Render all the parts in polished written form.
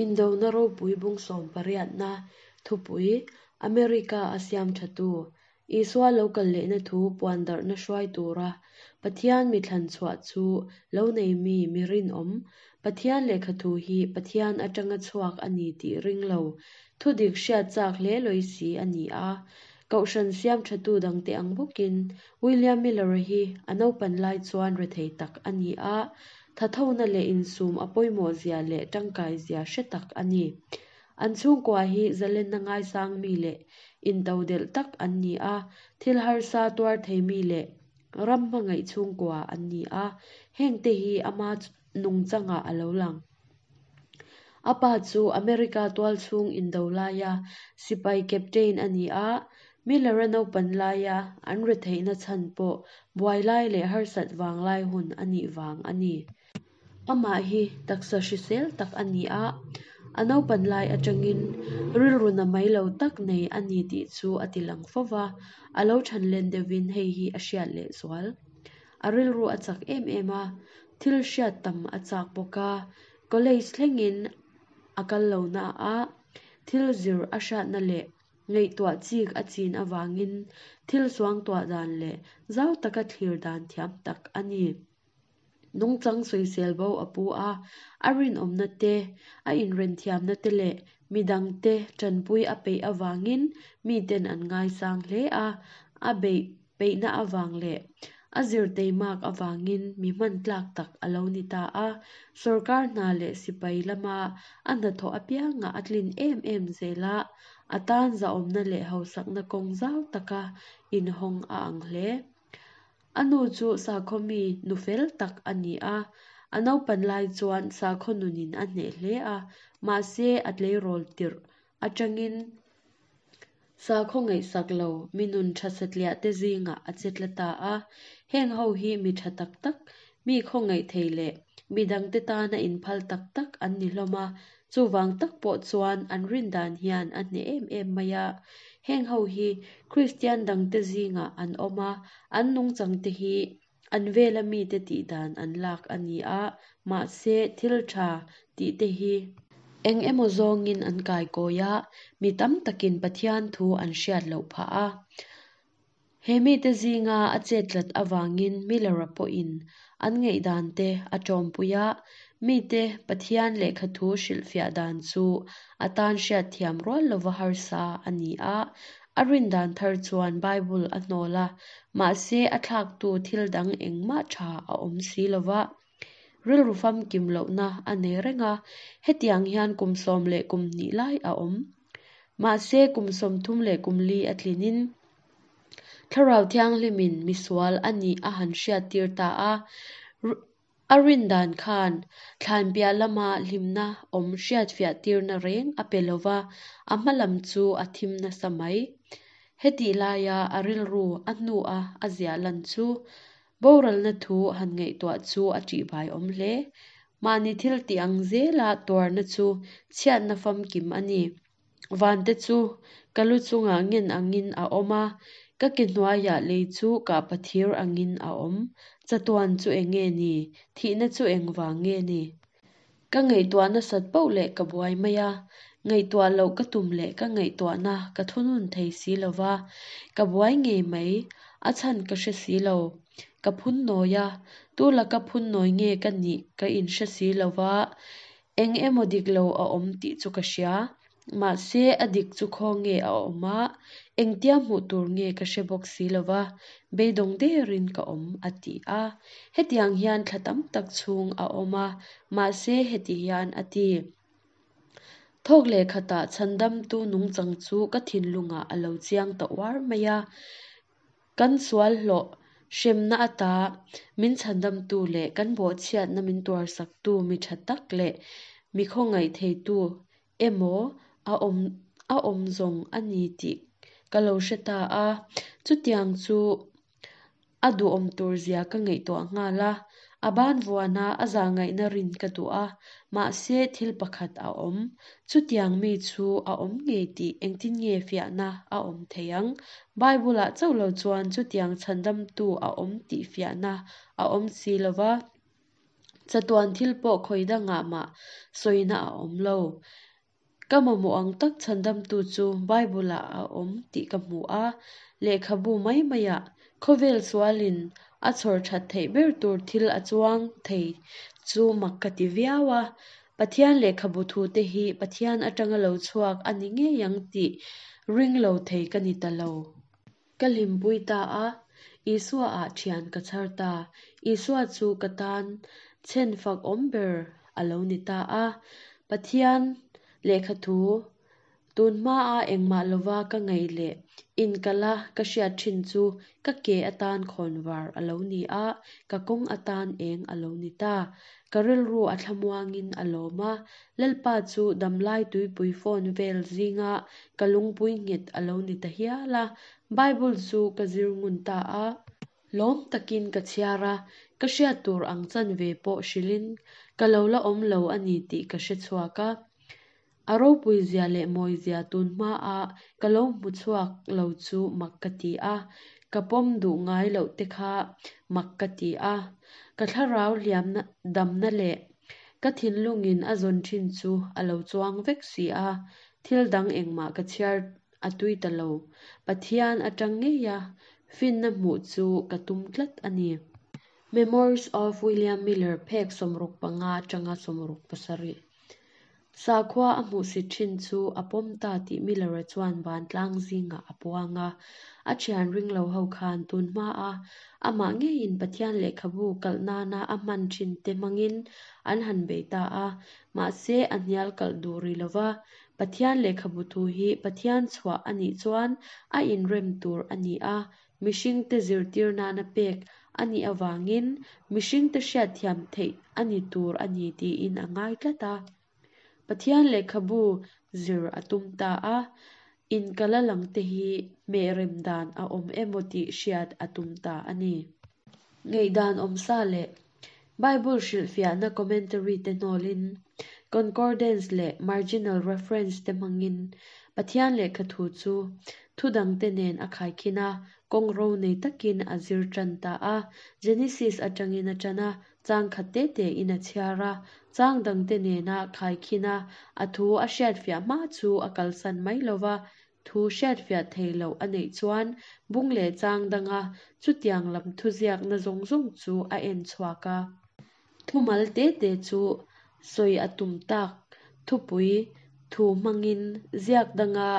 Indona ropui bung sawmpariatna thupui, America a siam thatu, Isua lo kal lehna thu puandarhna hruai tura Pathian mi thlan chhuah chu lo nei mi mi rinawm, Pathian lehkha thu hi Pathian atanga chhuak a ni tih ring lo, thudik hriat chak hle lawi si a ni a. Kohhran siam thatu dangte ang bawkin William Miller-a hi a naupan lai chuan rethei tak a ni a, thathona leh insum a pawimawh zia leh tangkai zia hre tak a ni. An chhungkua hi zalenna ngaisang mi leh intodelh tak an ni a, thil harsa tuar thei mi leh ram hmangaih chhungkua an ni a, hengte hi ama nungchangah a lo lang. A pa chu America tualchhung indo laia sipai captain a ni a, Miller-a naupan laia an retheihna chhan pawh buai lai leh harsat vang lai hun a nih vang a ni. Amah hi taksa hrisel tak a ni a, a naupan lai atangin rilru na mai lo tak nei a ni tih chu a ti lang fo va, a lo than len deuhin hei hi a hriat leh zual. A rilru a chak em em a, thil hriat tam a chak bawk a, college thlengin a kal lo na a, thil zir a hriatna leh ngaihtuah chik a chin avangin thil suangtuah dan leh zau taka thlir dan thiam tak a ni. Nungchang sawisel bo a pu a, a rinawmna te, a inrenthiamna te leh midangte tanpui a peih avangin miten an ngaisang hle a, a beih peihna avang leh a zirteimak avangin mi hman tlak tak a lo ni ta a, sorkar hna leh sipai lama a hnathawh apiangah a tlin em em zel a, a tan zahawmna leh hausakna kawng zau taka inhawng a ang hle. A nu chu sakhaw mi nu fel tak a ni a, a naupan lai chuan sakhaw nunin a hneh hle a, mahse a tleirawl tirh atangin sakhaw ngaihsak lo mi nun tha satliah te zingah a che tla ta a. Heng ho hi mi tha tak tak, mi khawngaih thei leh mi dangte tana inphal tak tak an ni hlawm a, Chuvang tak pawh chuan an rin dan hian a hneh em em mai a. Heng ho hi Kristian dangte zingah an awm a, an nungchangte hi an vela mite tih dan an lak a ni a, mahse thil tha tihte hi eng emaw zawngin an kaikawi a, mi tam takin Pathian thu an hriat loh phah a. He mite zinga a chet tlat avangin Miller-a pawhin an ngaihdan te a tawmpui a, mite Pathian lehkha thu hrilhfiah dan chu a tan hriatthiam rual lova harsa a ni a. A rin dan thar chuan Bible a hnawl a, mahse a thlaktu thil dang engmah tha a awm si lova. Rilru famkim lohna a nei reng a, hetiang hian kum 12 lai a awm. Mahse kum 34 a tlinin Thlarau Thianghlimin misual a nih a han hriattir ta a, a rin dan khan thlan piah lama hlimna awm hriatfiah tirna reng a pe lova, a hma lam chu a thim nasa mai. Hetih laia a rilru a hnua a ziah lan chu Boralna thu han ngaihtuah chu a ṭihbai awm hle. Mahni thil tih ang zela tuarna chu chhiatna famkim a ni. Vante chu ka lu chungah ngen angin a awm a, ka ke hnuaiah lei chu kahpa thir angin a awm. Chatuan chu eng nge ni? Thihna chu engvang nge ni? Ka ngaihtuah nasat poh leh ka buai mai a, ngaihtuah loh ka tum leh ka ngaihtuahna ka thunun thei si lo va, ka buai ngei mai, a chhan ka hre si lo. Ka phun nawi a, tu laka phun nawi nge ka nih ka inhre si lo va, eng emaw dik lo a awm tih chu ka hria. Mahse, a dik chu khaw nge a awm a, engtia hmuh tur nge ka hre bawk si lo va, beidawng derin ka awm, a ti a. Hetiang hian thla tam tak chhung a awm a, mahse heti hian a ti. Thawk leh khatah chhandamtu nungchang chu ka thinlungah a lo chiang ta uar mai a. Kan sual hlawh hremna ata min chhandamtu leh kan bawhchhiatna min tuarsaktu mi tha tak leh mi khawngaih theitu emaw a awm a awm zawng a ni tih ka lo hre ta a. Chutiang chu a duhawm tur zia ka ngaihtuah nghal a, a ban vuana a zahngaihna rin ka duh a, mahse thil pakhat a awm. Chutiang mi chu a awm ngei tih engtin nge fiahna a awm thei ang? Bible-ah chauh lo chuan chutiang chhandamtu a awm tih fiahna a awm si lo va. Chatuan thil pawh khawi dangah mah sawina a awm lo. Ka mamawh ang tak chhandamtu chu Bible-ah a awm tih ka hmu a, lehkhabu mai maiah khawvel sualin a chhawr that theih ber tur thil a chuang thei chu mak ka ti viau a. Pathian lehkhabu thute hi Pathian atanga lo chhuak a ni ngei ang tih ring lo thei ka ni ta lo. Ka hlimpui ta a, Isua ah thian ka chhar ta. Isua chu ka tan chhen fak awm ber a lo ni ta a. Pathian lehkhathu tun hmaa engmah lova ka ngaih leh inkala ka hriat thin chu ka ke atan khawnvar a lo ni a, ka kawng atan eng a lo ni ta. Ka rilru a thlamuangin a lawm a, Lalpa chu damlai tuipui fawn vel zinga ka lungpui nghet a lo ni ta hial a. Bible chu ka zir ngun ta a. Lawm takin ka chhiar a, ka hriat tur ang chanve pawh hrilhin ka lo la awm lo a ni tih ka hre chhuak a. A ropui zia leh mawi zia tun hmaa ka lo hmu chhuak lo chu mak ka ti a, ka pawm duh ngai loh te kha mak ka ti a. Ka thlarau hliamna damna leh ka thinlungin a zawn thin chu a lo chuang vek si a, thil dang engmah ka chhiar a tui ta lo. Pathian atang ngeia finna hmuh chu ka tum tlat a ni. Memoirs of William Miller phek 65 atanga 67. Sakhua a hmuhsit thin chu a pawm ta tih Miller-a chuan vantlang zingah a puang a. A thian ring lo ho khan tun hmaa amah ngeiin Pathian lehkhabu kalh nana a hman thin te hmangin an han bei ta a. Mahse, a hnial kalh duh rih lo va. Pathian lehkhabu thu hi Pathian chhuah a nih chuan a inrem tur a ni a, mihringte zirtir nana pek a nih avangin mihringte hriatthiam theih a ni tur a ni tiin a ngai tlat a. Pathian lehkhabu zir a tum ta a, inkala langte hi hmehrem dan a awm emaw tih hriat a tum ta a ni. Ngaihdan awmsa leh Bible hrilhfiahna commentary te hnawlin, concordance leh marginal reference te hmangin Pathian lehkhathu chu thu dangte nen a khaikhin a, kawng ro nei takin a zir tan ta a. Genesis atangin a tan a, chang khat te tein a chhiar a, chang dangte nena khaikhin a, a thu a hriatfiah hma chu a kalsan mai lova, Thu hriatfiah thei loh a neih chuan bung leh chang danga chutiang lam thuziakna zawng zawng chu a en chhuak a. Thumal te te chu sawi a tum tak thupui thu hmangin ziak danga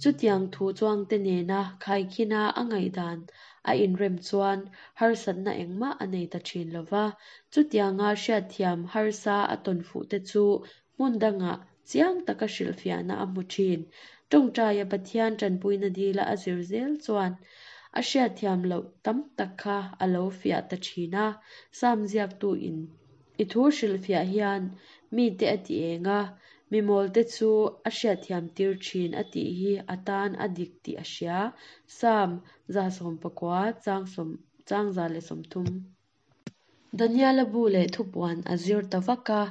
chutiang thu chuangte nena khaikhina a ngaihdan a inrem chuan harsatna engmah a nei ta thin lo va. Chutianga hriatthiam harsa a tawn fuhte chu Hmun dangah chiang taka hrilhfiahna a hmu thin. Tawngtaia Pathian tanpuina dila a zir zel chuan a hriatthiam loh tam tak kha a lo fiah ta thin a. Sam ziaktuin i thu hrilhfiah hian mite a ti eng a, mi mawlte chu a hriatthiam tir thin a tih hi a tan a dik tih a hria. Sam 119 chang 130. Daniela bu leh thupuan a zir ta vak a,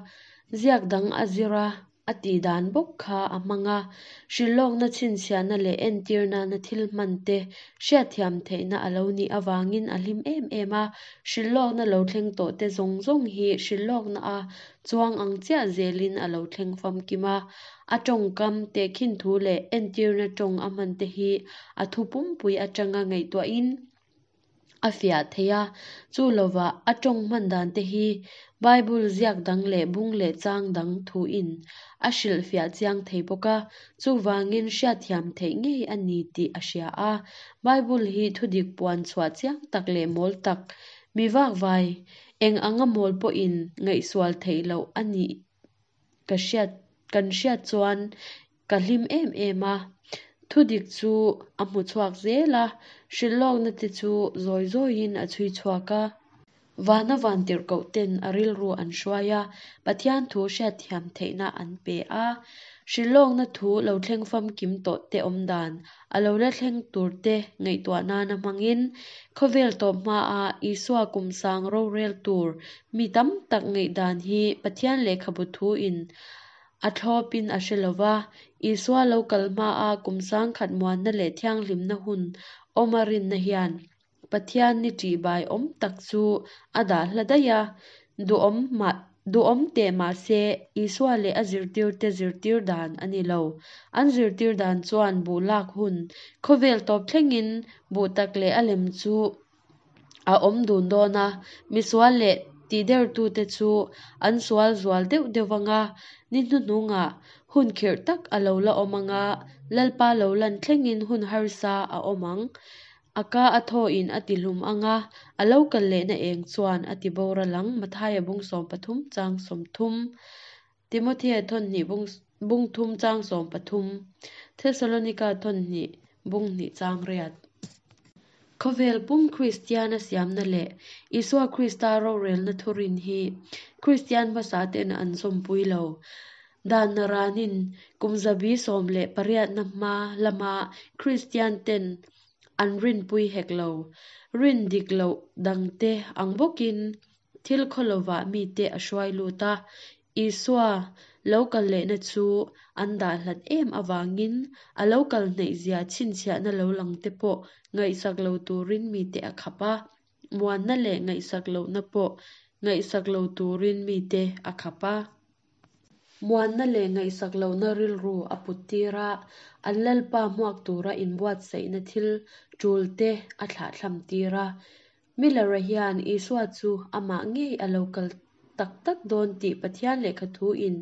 ziak dang a zir a, a tih dan bawk kha a hmang a, hrilhlawkna chhinchhiahna leh entir nana thil hman te hriatthiam theihna a lo nih avangin a hlim em em a, hrilhlawkna lo thleng tawh te zawng zawng hi hrilhlawkna a chuang ang chiah zelin a lo thleng famkim a, a tawngkam tehkhin thu leh entirna tawng a hman te hi a thu pumpui atanga ngaihtuahin a fiah thei a, chu lovah a tawng hman dan te hi Bible ziak dang leh bung leh chang dang thuin a hrilhfiah chiang thei bawk a, chuvangin hriatthiam theih ngei a ni tih a hria a. Bible hi thudik puan chhuah chiang tak leh mawl tak, mi vakvai eng anga mawl pawhin ngaihsual theih loh a nih ka hriat kan hriat chuan Ka hlim em em a, thudik chu a hmu chhuak zel a, hrilhlawkna te chu zawi zawiin a chhui chhuak a. Vana vantirhkoh ten a rilru an hruai a, Pathian thu hriatthiam theihna an pe a. Hrilhlawkna thu lo thleng famkim tawh te awm dan, a lo la thleng tur te ngaihtuah nana hmangin, khawvel tawp hmaa Isua kum sang rorel tur mi tam tak ngaihdan hi Pathian lehkhabu thuin A thlawpin a hre lo va, Isua lo kal hmaa kum sangkhat muanna leh thianghlimna hun awm a rinna hian Pathian ni ṭihbai awm tak chu a dah hla daih a. Duhawm mah duhawm teh mah se, Isua leh a zirtirte zirtir dan a ni lo. An zirtir dan chuan buh lak hun khawvel tawp thlengin buh tak leh a lem chu a awm dun dawn a, misual leh tihdertute chu an sual zual deuh deuh ang a, ni hnuhnungah hun khirh tak a lo la awm ang a, Lalpa lo lan thlengin hun harsa a awm ang. A ka a thawin a tihlum ang a, a lo kal lehna eng chuan a ti boral ang, Mathaia bung 13 chang 30, Timothea thawnhnih bung bung thum chang 13, Thesalonika thawnhnih bung hnih chang riat. Khawvel pum Kristiana siamna leh Isua Krista rorelna thurin hi Kristian hmasa ten an zawmpui lo. Dan naranin kum zabi 18na hma lama Kristian ten an rinpui hek lo. Rin dik loh dangte ang bawkin thil khawlovah mite a hruai lut a, Isua lo kal lehna chu an dah hlat em avangin a lo kal hnaih zia chhinchhiahna lo lang te pawh ngaihsak lo turin mite a khap a, muanna leh ngaihsak lohna pawh ngaihsak lo turin mite a khap a. Muanna leh ngaihsak lohna rilru a put tir a, an Lalpa hmuak tura inbuatsaihna thil tul te a thlahthlam tir a. Miller-a hian Isua chu amah ngei a lo kal tak tak dawn tih Pathian lehkha thuin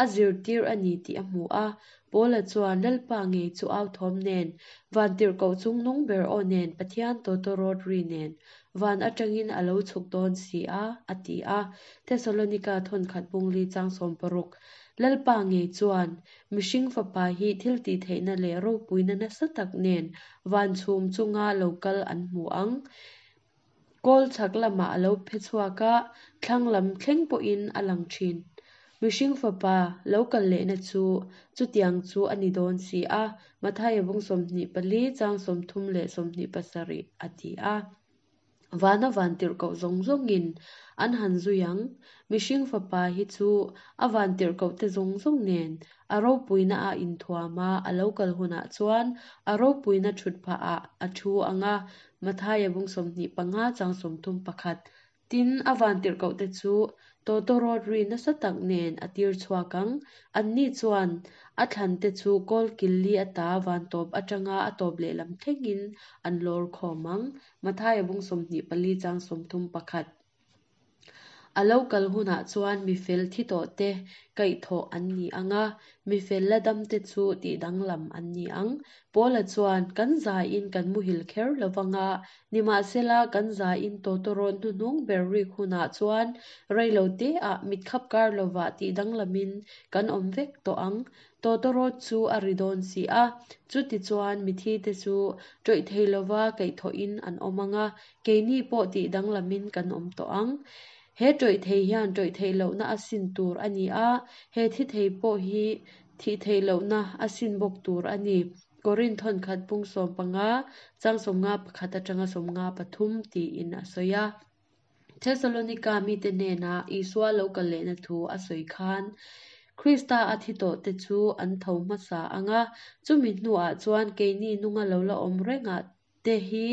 a zirtir a ni tih a hmu a. Paula chuan Lalpa ngei chu au thawm nen, vantirhkoh chungnung ber aw nen, Pathian tawtawrawt ri nen, van atangin a lo chhuk dawn si a, a ti a. Thesalonika thawnkhat bungli chang 60. Lalpa ngei chuan mihring fapa hi thil tihtheihna leh ropuina nasa tak nen van chhum chunga lo kal an hmu ang. Kawl chhak lamah a lo phe chhuak a, thlang lam thleng pawhin a lang thin. Mihring fapa lo kal lehna chu chutiang chu a ni dawn si a, Mathaia bung 24 chang 30 leh 27 a ti a. Vana vantirhkoh zawng zawngin an han zui ang. Mihring fapa hi chu a vantirhkohte zawng zawng nen a ropuina a inthuam a, a lo kal hunah chuan a ropuina thut phahah a thu ang a, Mathaia bung 25 chang 31. Tin, a vantirhkohte chu tawtawrawt ri nasa tak nen a tir chhuak ang. Anni chuan a thlante chu kawl kil li ata van tawp atanga a tawp lehlam thlengin an lawr khawm ang. Mathaia bung 24 chang 31. A lo kal hunah chuan mi fel thi tawh te kaihthawh an ni ang a, mi fel la dam te chu tihdanglam an ni ang. Paula chuan kan zaiin kan muhil kher lovang a, nimahsela kan zaiin tawtawrawt hnuhnung ber rik hunah chuan reilo teah mitkhap kar lovah tihdanglamin kan awm vek tawh ang. Tawtawrawt chu a ri dawn si a, chutichuan mithi te chu tawih thei lova kaihthawhin an awm ang a, keini pawh tihdanglamin kan awm tawh ang. He tawih thei hian tawih theih lohna a sin tur a ni a, he thi thei pawh hi thih theih lohna a sin bawk tur a ni. Korinth thawnkhat bung 15 chang 51 atanga 53 tiin a sawi a. Thesalonika mite hnenah Isua lo kal lehna thu a sawi khan, Krista a thi tawh te chu an tho hmasa ang a, chumi hnuah chuan keini nunga lo la awm rengah te hi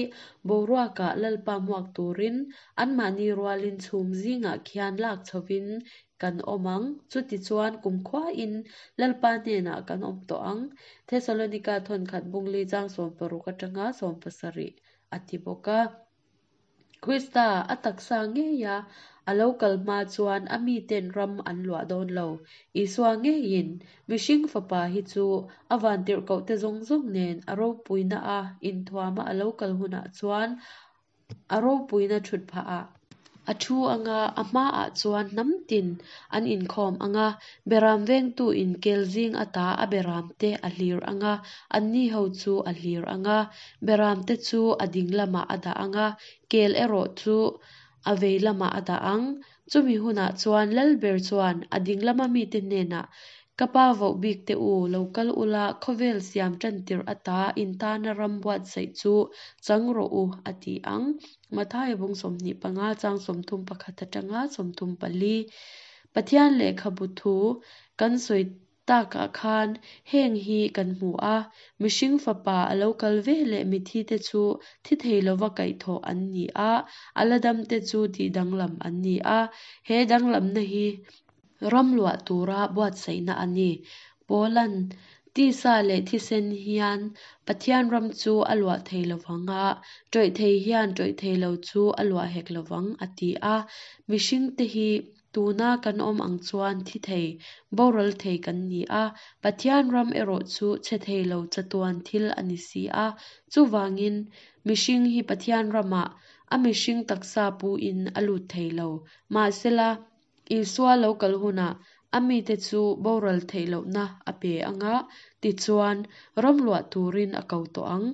boruakah Lalpa hmuak turin anmahni rualin chhum zingah khian lak chhovin kan awm ang. Chutichuan kumkhuain Lalpa hnenah kan awm tawh ang. Thesalonika thawnkhat bungli chang 60 atanga 70 a ti bawk a. Krista a taksa ngeia a lo kal hma chuan a miten ram an luah dawn lo. Isua ngeiin mihring fapa hi chu a vantirhkohte zawng zawng nen a ropuina a inthuama a lo kal hunah chuan a ropuina thut phahah a thu ang a, a hmaah chuan hnam tin an inkhawm ang a, beram vengtu in kel zing ata a beram te a hlir ang a, anni ho chu a hlir ang a, beram te chu a ding lamah a dah ang a, kel erawh chu a vei lamah a dah ang. Chumi hunah chuan Lalber chuan a ding lama mite hnenah, Ka pa voh bik te u, lo kal ula, khawvel siam tan tirh ata intana ram buatsaih chu chang rawh u, a ti ang. Mathaia bung 25 chang 31 atanga 34. Pathian lehkhabu thu kan sawi. takah khan heng hi kan hmu a, Mihring Fapa a lo kal veleh mitthite chu thi thei lova kaihthawh an ni a, a la damte chu tihdanglam an ni a. He danglamna hi ram luah tura buatsaihna a ni. Paula'n tisa leh thisen hian Pathian ram chu a luah thei lovang a, ṭawih thei hian ṭawih thei lo chu a luah hek lovang a ti a. Mihringte hi Tuna kan awm ang chuan thi thei, boral thei kan ni a, Pathian ram erawh chu chhe thei lo chatuan thil a ni si a. Chuvangin, mihring hi Pathian ramah a mihring taksa puin a lut thei lo. Mahsela, Isua lo kal hunah a mite chu boral theih lohna a pe ang a, tichuan, ram luah turin a ko tawh ang.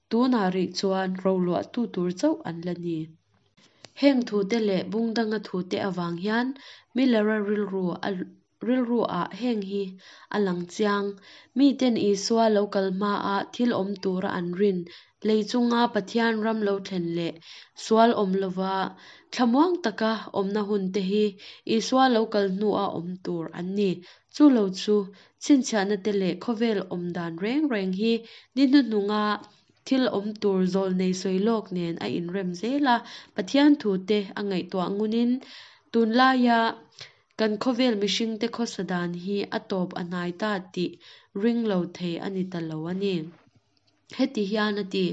Tunah rih chuan roluahtu tur chauh an la ni. Heng thute leh bung danga thute avang hian Miller-a rilru a rilru-ah heng hi a lang chiang. Miten Isua lo kal hmaa thil awm tura an rin, lei chunga Pathian ram lo thlen leh sual awm lova thlamuang taka awmna hunte hi Isua lo kal hnua awm tur an ni. Chu lo chu chhinchhiahnate leh khawvel awm dan reng reng hi ni hnuhnunga Thil awm tur zawlnei sawi lawk nen a inrem zel a, Pathian thute a ngaihtuah ngunin tunlaia kan khawvel mihringte khawsa dan hi a tawp a hnai ta tih ring lo thei a ni ta lo a ni. Heti hian a ti,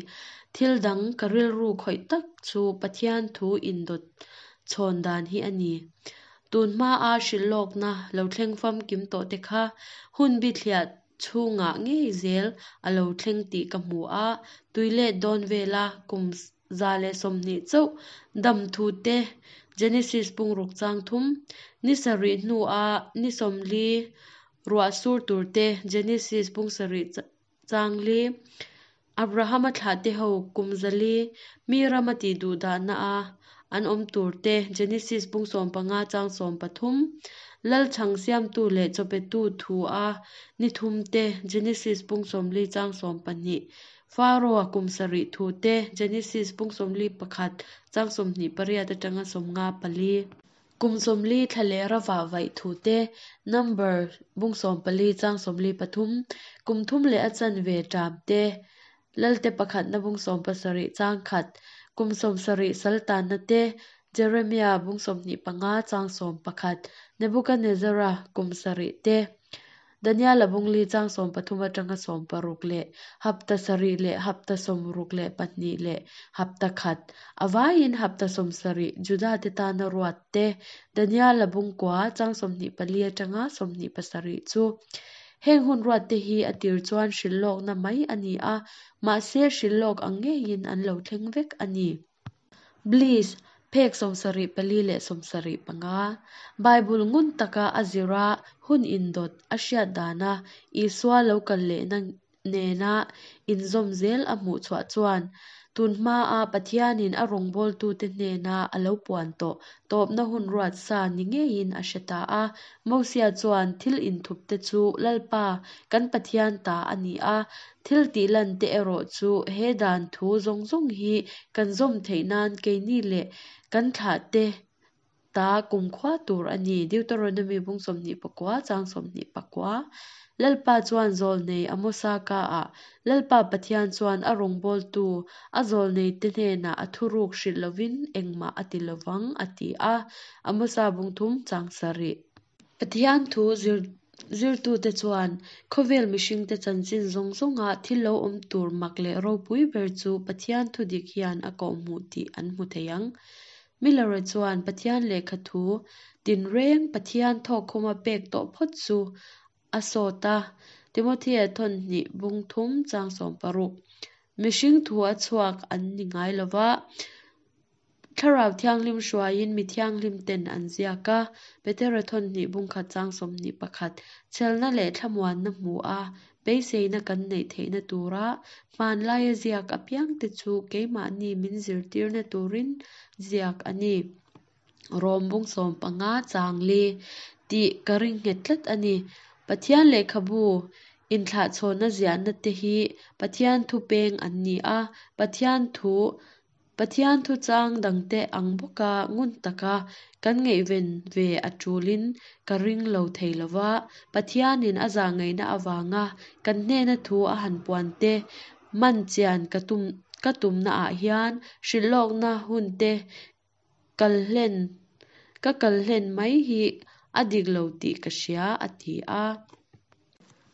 Thil dang ka rilru khawih tak chu Pathian thu indawt chhawn dan hi a ni. Tun hmaa hrilh lawkna lo thleng famkim tawh te kha hun bithliah chhungah ngei zel a lo thleng tih ka hmu a, tui let dawn vela kum 120 chauh dam thu te, Genesis pungruk chang thum, ni sarih hnua ni 40 ruah sur tur te, Genesis pung sarih chang li, Abrahama thlahte ho kum 400 mi rama tih duh dahna a an awm tur te, Genesis bung 15 chang 13, Lal chhang siamtu leh chawpetu thu a ni thum te, Genesis bung 40 chang 12, Pharaoh-a kum sarih thu te, Genesis bung 41 chang 28 atanga 54. Kum 40 thla leh rava vaih thu te, Number bung 14 chang 43, kum thum leh a chanve ṭam te, Lalte pakhatna bung 17 chang khat, kum 70 sal tanna te, Jeremia bung 25 chang 11, Nebukanezzara kum sarih te, Daniela bung li chang 13 atanga 16 leh hapta sarih leh hapta 62 leh hapta khat, a vaiin hapta 70 Judate tana ruat te, Daniela bung kua chang 24 atanga 27 chu. Heng hun ruat te hi a tir chuan hrilh lawkna mai a ni a, mahse hrilh lawk ang ngeiin an lo thleng vek a ni. Bliss, phek 74 leh 75. Bible ngun taka a zir a, hun indawt a hriat dana Isua lo kal lehna nena inzawm zel a hmuh chhuah chuan, tun hmaa Pathianin a rawngbawltute hnena a lo puan tawh tawpna hun ruat sa ni ngeiin a hre ta a. Mosia chuan thil inthupte chu Lalpa kan Pathian ta a ni a, thil tihlante erawh chu he dan thu zawng zawng hi kan zawm theih nan keini leh kan thlahte ta kumkhua tur a ni, Deuteronomy bung 29 chang 29. Lalpa chuan zawlnei Amosa kaah, Lalpa Pathian chuan a rawngbawltu a zawlneite hnenah a thuruk hrilh lovin engmah a ti lovang, a ti a, Amosa bung thum chang sarih. Pathian thu zirtute chuan khawvel mihringte chanchin zawng zawnga thil lo awm tur mak leh ropui ber chu Pathian thu dik hian a kawhhmuh tih an hmu thei ang. Miller-a chuan Pathian lehkha thu tinreng Pathian thawkkhuma pek tawh phawt chu a sawt a, Timothea thawn hnih bung thum chang 16. Mihring thu a chhuak an ni ngai lo va, Thlarau Thianghlim hruaiin mi thianghlim ten an ziak a, Petera thawn hnih bung khat chang 21. Chhelna leh thlamuanna hmu a, beiseina kan neih theihna tura hmanlaia ziak apiangte chu keimahni min zirtirna turin ziak a ni. Rom bung 15 chang li tih ka ring nghet tlat a ni. Pathian lehkhabu inthlahchhawnna ziahna te hi Pathian thu peng an ni a, Pathian thu Pathian thuchang dangte ang bawka ngun taka kan ngaihven ve a tulin ka ring lo thei lo va, Pathianin a zahngaihna avanga kan hnena thu a han puan te man chian ka tum ka tumnaah hian hrilhlawkna hunte kal hlen ka kal hlen mai hi a dik lo tih ka hria, a ti a.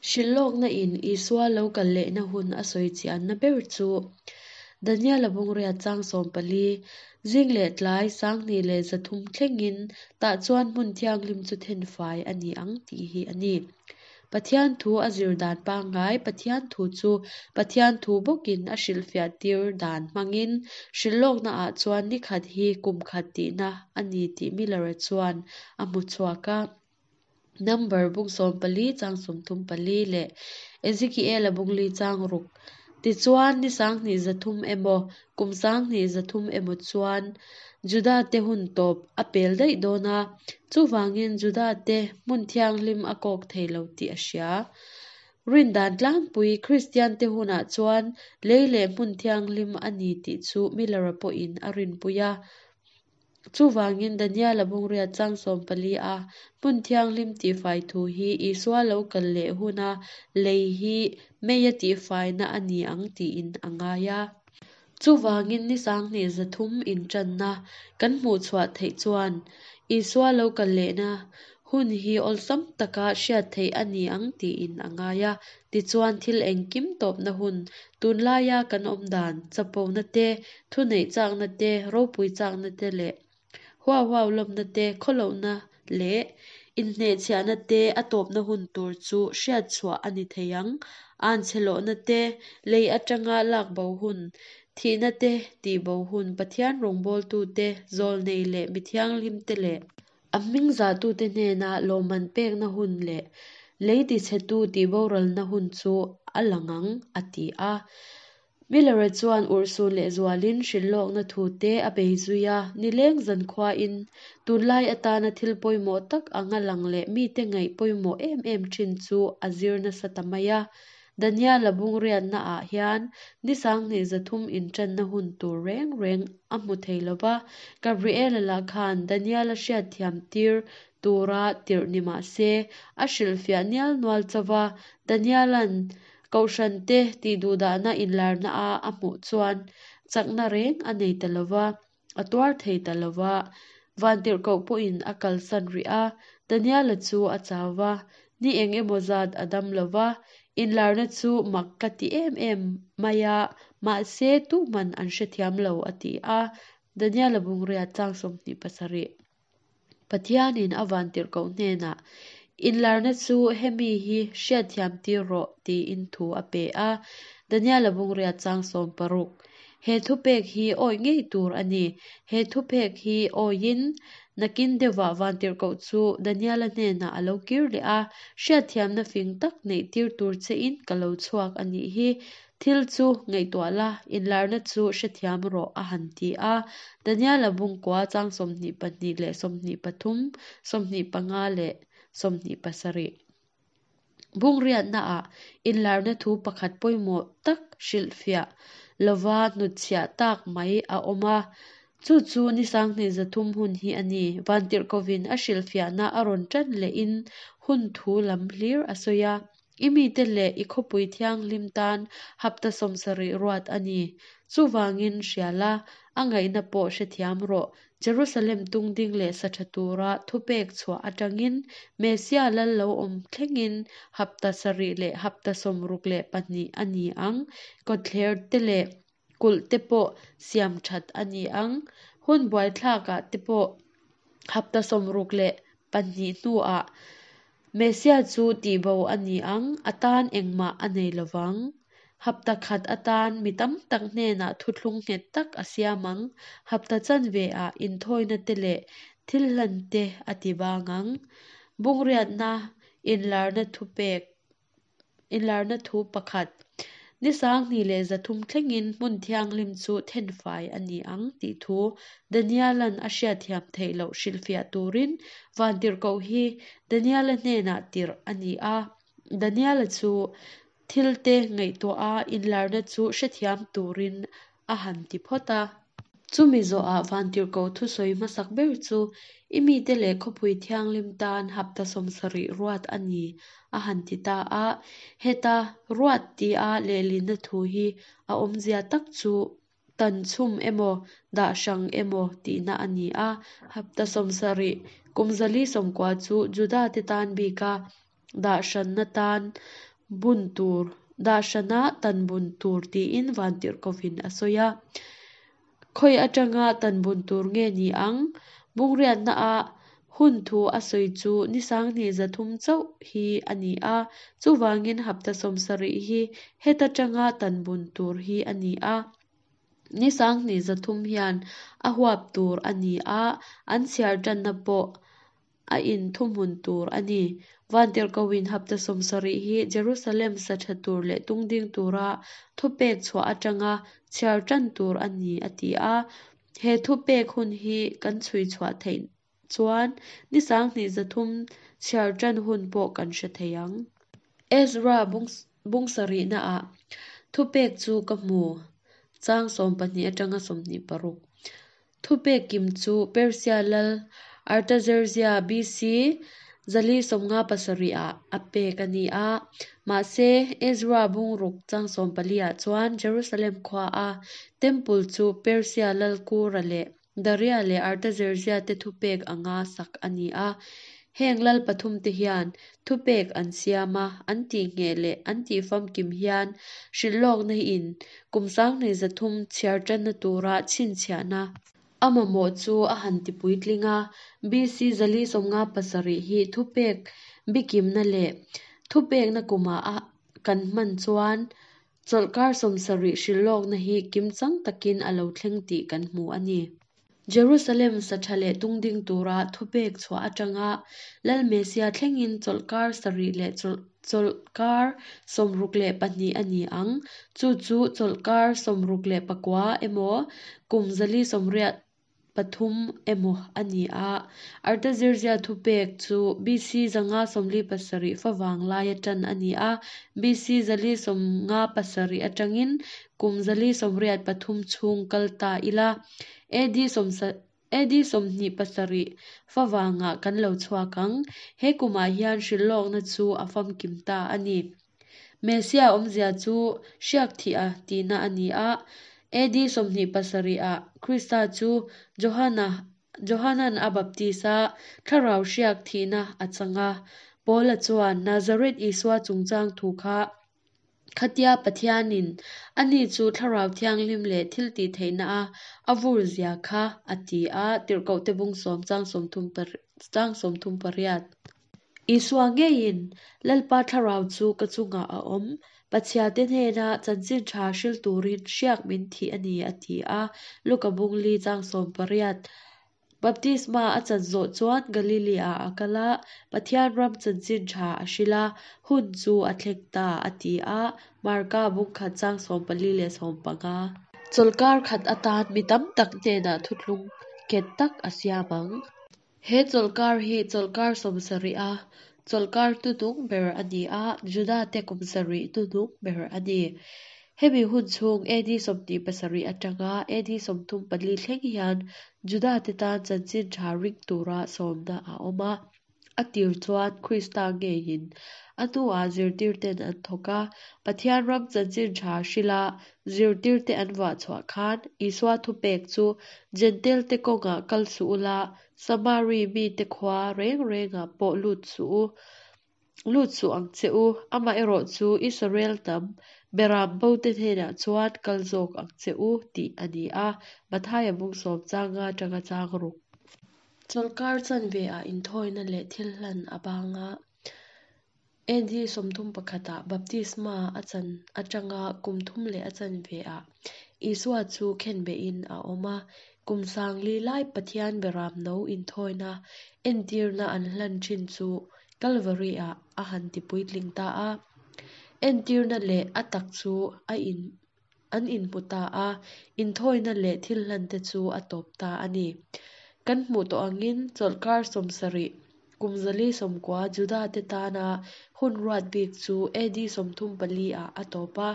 Hrilhlawkna in Isua lo kal lehna hun a sawi chianna ber chu Daniela bung riat chang 14, Zing leh tlai 2300 thlengin tah chuan hmun thianghlim chu thenfai a ni ang tih hi a ni. Pathian thu a zir dan pangngai Pathian thu chu Pathian thu bawkin a hrilhfiah tir dan hmangin hrilhlawkna ah chuan ni khat hi kum khat tihna a ni tih Miller-a chuan a hmu chhuak a. Number bung 14 chang 34 leh Ezekiela bung li chang ruk. Tichuan, ni 2300 emaw, kum 2300 emaw chuan Juda-te hun tawp a pel daih dawn a, chuvangin Juda-te hmun thianghlim a kawk thei lo tih a hria. Rin dan tlangpui Kristiante hunah chuan lei leh hmun thianghlim a ni tih chu Miller-a pawhin a rinpui a. Chuvangin Daniela bung riat chang 14 a hmun thianghlim tihfai thu hi Isua lo kal leh huna lei hi meia tihfaina a ni ang tiin a ngai a. Chuvangin ni 2300 intanna kan hmuh chhuah theih chuan Isua lo kal lehna hun hi awlsam taka hriat theih a ni ang tiin a ngai a. Tichuan thil engkim tawpna hun, tunlaia kan awm dan, chapona te, thuneih chakna te, ropui chakna te leh huau huau lawmna te, khawlohna leh inhnehchhiahna te a tawpna hun tur chu hriat chhuah a ni thei ang. Anchhe lawhna te, lei atanga lak bo hun, thihna te tih bo hun, Pathian rawngbawltu te, zawlnei leh mi thianghlim te leh a hming zahtute hnena lawmman pekna hun leh lei tichhetu tihboralna hun chu a lang ang, a ti a. Miller-a chuan urhsun lehzualin hrilhlawkna thu te a bei zui a, nileng zankhuain tunlai atana thil pawimawh tak anga lang leh mite ngaih pawimawh em em thin chu a zir nasa ta mai a. Daniela bung riatnaah hian ni 2300 intanna hun tur reng reng a hmu thei lo va, Gabriela lah khan Daniela hriatthiam tir tura tirh ni mah se, a hrilhfiah nial nual chauh va, Daniela'n Kohhrante tihduhdahna inlarna a a hmuh chuan chakna reng a nei ta lo va, a tuar thei ta lo va. Vantirhkoh pawhin a kalsan rih a, Daniela chu a chau va, ni eng emaw zat a dam lo va, inlarna chu mak ka ti em em mai a, mahse tuhman an hrethiam lo a ti a. Daniela bung riat chang 27. Pathianin a vantirhkoh hnenah, Inlarna chu hemi hi hriatthiam tir rawh, tiin thu a pe a. Daniela bung riat chang 16. He thupek hi awih ngei tur a ni. He thupek hi awihin nakin deuhvah vantirhkoh chu Daniela hnenah a lo kir leh a, Hriatthiamna fing tak neih tir tur chein ka lo chhuak a nih hi. Thil chu ngaihtuah la, inlarna chu hrethiam rawh, a han ti a. Daniela bung kua chang 22 leh 23, 25 leh 27. Bung riatnaah inlarna thu pakhat pawimawh tak hrilhfiah lova hnutchhiah tak mai a awm a. Chu chu ni 2300 hun hi a ni. Vantirhkovin a hrilhfiahna a rawn tan lehin hun thu lam hlir a sawi a. I mite leh i khawpui thianghlim tan hapta 70 ruat a ni. Chuvangin hria la, a ngaihna pawh hrethiam rawh. Jerusalem tungding leh sa tha tura thupek chhuah atangin Messia lal lo awm thlengin hapta 7 leh hapta 62 a ni ang. Kawtthler te leh kulh te pawh siam that a ni ang. Hun buaithlakah te pawh hapta 62 hnuah Messia chu tihbo a ni ang, a tan engmah a nei lovang. Hapta khat atan mi tam tak hnenah thuthlung nghet tak a siam ang. Hapta chanveah inthawina te leh thil hlan te a ti bang ang. Bung riatna inlarna thupek inlarna thu pakhat. Ni 2300 thlengin hmun thianghlim chu thenfai a ni ang tih thu Daniela'n a hriatthiam theih loh hrilhfiah turin vantirhkoh hi Daniela hnenah tirh a ni a. Daniela chu thil te ngaihtuah a inlarna chu hrethiam turin a han ti phawt a. Chumi zawhah Vantirhkoh thusawi hmasak ber chu i mite leh khawpui thianghlim tan hapta 70 ruat a ni a han ti ta a. Heta ruat tia lehlinna thu hi a awmzia tak chu tan chhum emaw dah hrang emaw tihna a ni a. Hapta 70 kum 490 chu Judate tan bika dah hranna tan bun tur, dah hrana tan bun tur tiin Vantirhkohin a sawi a. Khawi atanga tan bun tur nge ni ang? Bungriatnaah hun thu a sawi chu ni 2300 chauh hi a ni a, chuvangin hapta 70 hi heta tanga tan bun tur hi a ni a. Ni 2300 hian a huap tur a ni a, an chhiar tanna pawh a inthuhmun tur a ni. Vantirhkohin hapta 70 hi Jerusalem sa tha tur leh tungding tura thupek chhuah atanga chhiar tan tur a ni a ti a. He thupek hun hi kan chhui chhuah theih chuan ni 2300 chhiar tan hun pawh kan hre thei ang. Ezra bung sarihnaah thupek chu ka hmu, chang 12 atanga 26. Thupek kim chu Persia lal Artaxerxes BC 457 ah a pek a ni a. Mahse, Ezra bung ruk chang 14 ah chuan Jerusalem khua a Temple chu Persia lal Kura leh Daria leh Artaxerxes te thupek anga sak a ni a. Heng lal pathum te hian thupek an siam a, an tihngheh leh an tihfamkim hian hrilhlawkna in kum 2300 chhiar tanna tura chhinchhiahna a mamawh chu a han tipuitling a. BC 457 hi thupek bikimna leh thupekna kumah a kan hman chuan chawlhkar 70 hrilhlawkna hi kimchang takin a lo thleng tih kan hmu a ni. Jerusalem sa tha leh tungding tura thupek chhuah atanga Lal Messia thlengin chawlhkar sarih leh chawlhkar 62 a ni ang. Chu chu chawlhkar 69 emaw kum 483 emaw a ni a. Artaxerxes thupek chu BC 547 favang laia tan a ni a. BC 457 atangin kum 483 chhung kal ta ila. AD AD 27 favangah kan lo chhuak ang. He kumah hian hrilhlawkna chu a famkim ta a ni. Messia awmzia chu hriak thih a tihna a ni a. AD 27 ah Krista chu Johana Johanan a baptis a, thlarau hriak thihna a chang a. Paula chuan Nazareth Isua chungchang thu kha Khatia Pathianin ani chu Thlarau Thianghlim leh thiltihtheihna a a vur zia kha a ti a, Tirhkohte bung sawm chang sawmthum chang 38. Isua ngeiin, Lalpa Thlarau chu ka chungah a awm, Pathiante hnena chanchin tha hril turin hriak min thih a ni a ti a, Luka bung li chang 18. Baptisma a chan zawh chuan Galili-ah a kal a, Pathian ram chanchin tha a hrilh a, hun chu a thleng ta, a ti a, Marka bung khat chang 14 leh 15. Chawlhkar khat atan mi tam tak hnenah thuthlung nghet tak a siam ang. He chawlhkar hi chawlhkar 70 a chawlhkar hnuhnung ber a ni a, Judate kum sarih hnuhnung ber a ni. Hemi hun chhung AD 27 atanga AD 34 thleng hian Judate tan chanchin tha ring tura sawmna a awm a. A tir chuan Krista ngeiin a hnuah zirtirten an thawk a. Pathian ram chanchin tha hrila zirtirte an vah chhuah khan Isua thupek chu Jentail-te kawngah kal suh ula, Samari mite khua reng rengah pawh lut suh u. Lut suh ang che u, amaherawhchu Israel hnam Beram bote hnenah chuan kal zawk ang che u tih a ni a, Mathaia bung sawm changa atanga chang ruk. Chawlhkar chanve ah inthawina leh thil hlan a bang a, AD 31 ah baptisma a chan atanga kum thum leh a chanve ah Isua chu khenbehin a awm a, kum 4000 lai Pathian Beram no inthawina entirna an hlan thin chu Calvary-ah a han tipuitling ta a. Entirna leh a tak chu a in an inhmu ta a, inthawina leh thil hlante chu a tawp ta a ni. Kan hmuh tawh angin chawlhkar 70, kum 490 Juda-te tana hun ruat bik chu AD 34 ah a tawp a,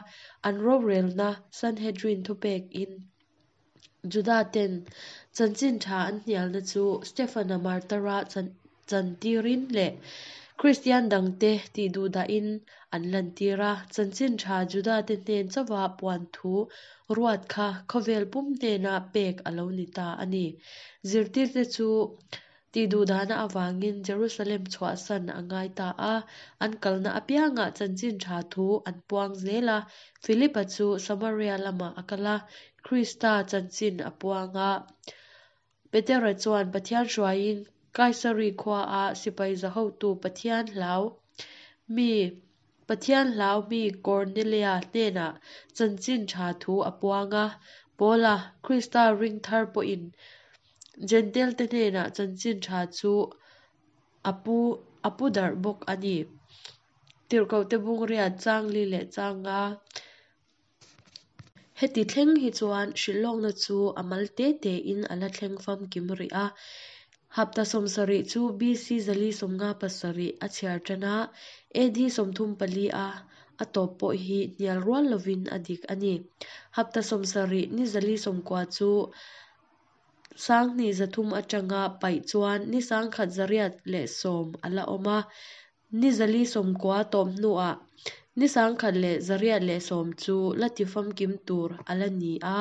an rorelna Sanhedrin thupekin. Juda-ten chanchin tha an hnialna chu Stefana martara chantirin leh Kristian dangte tihduhdahin an lantir a. Chanchin tha Juda-te hnen chauha puan thu ruat kha khawvel pum hnena pek a lo ni ta a ni. Zirtirte chu tihduhdahna avangin Jerusalem chhuahsan a ngai ta a, an kalna apiangah chanchin tha thu an puang zel a. Philipa chu Samaria lamah a kal a, Krista chanchin a puang a. Petera chuan Pathian hruaiin Kaisari khuaah sipai zahotu Pathian hlau mi Pathian hlau mi Kornelia hnenah chanchin tha thu a puang a. Paula, Krista ring thar pawhin Jentail-te hnenah chanchin tha chu a pu a pu darh bawk a ni. Tirhkohte bung riat chang li leh chang nga. Heti thleng hi chuan hrilhlawkna chu a mal te te in a la thleng famkim rih a. Hapta 70 chu BC 457 a chhiar tan a, AD 34 a a tawp pawh hi hnial rual lovin a dik a ni. Hapta 70 ni 490 chu 2300 atanga paih chuan ni 1810 a la awm a. Ni 490 tawp hnuah ni 1110 chu la ti famkim tur a la ni a.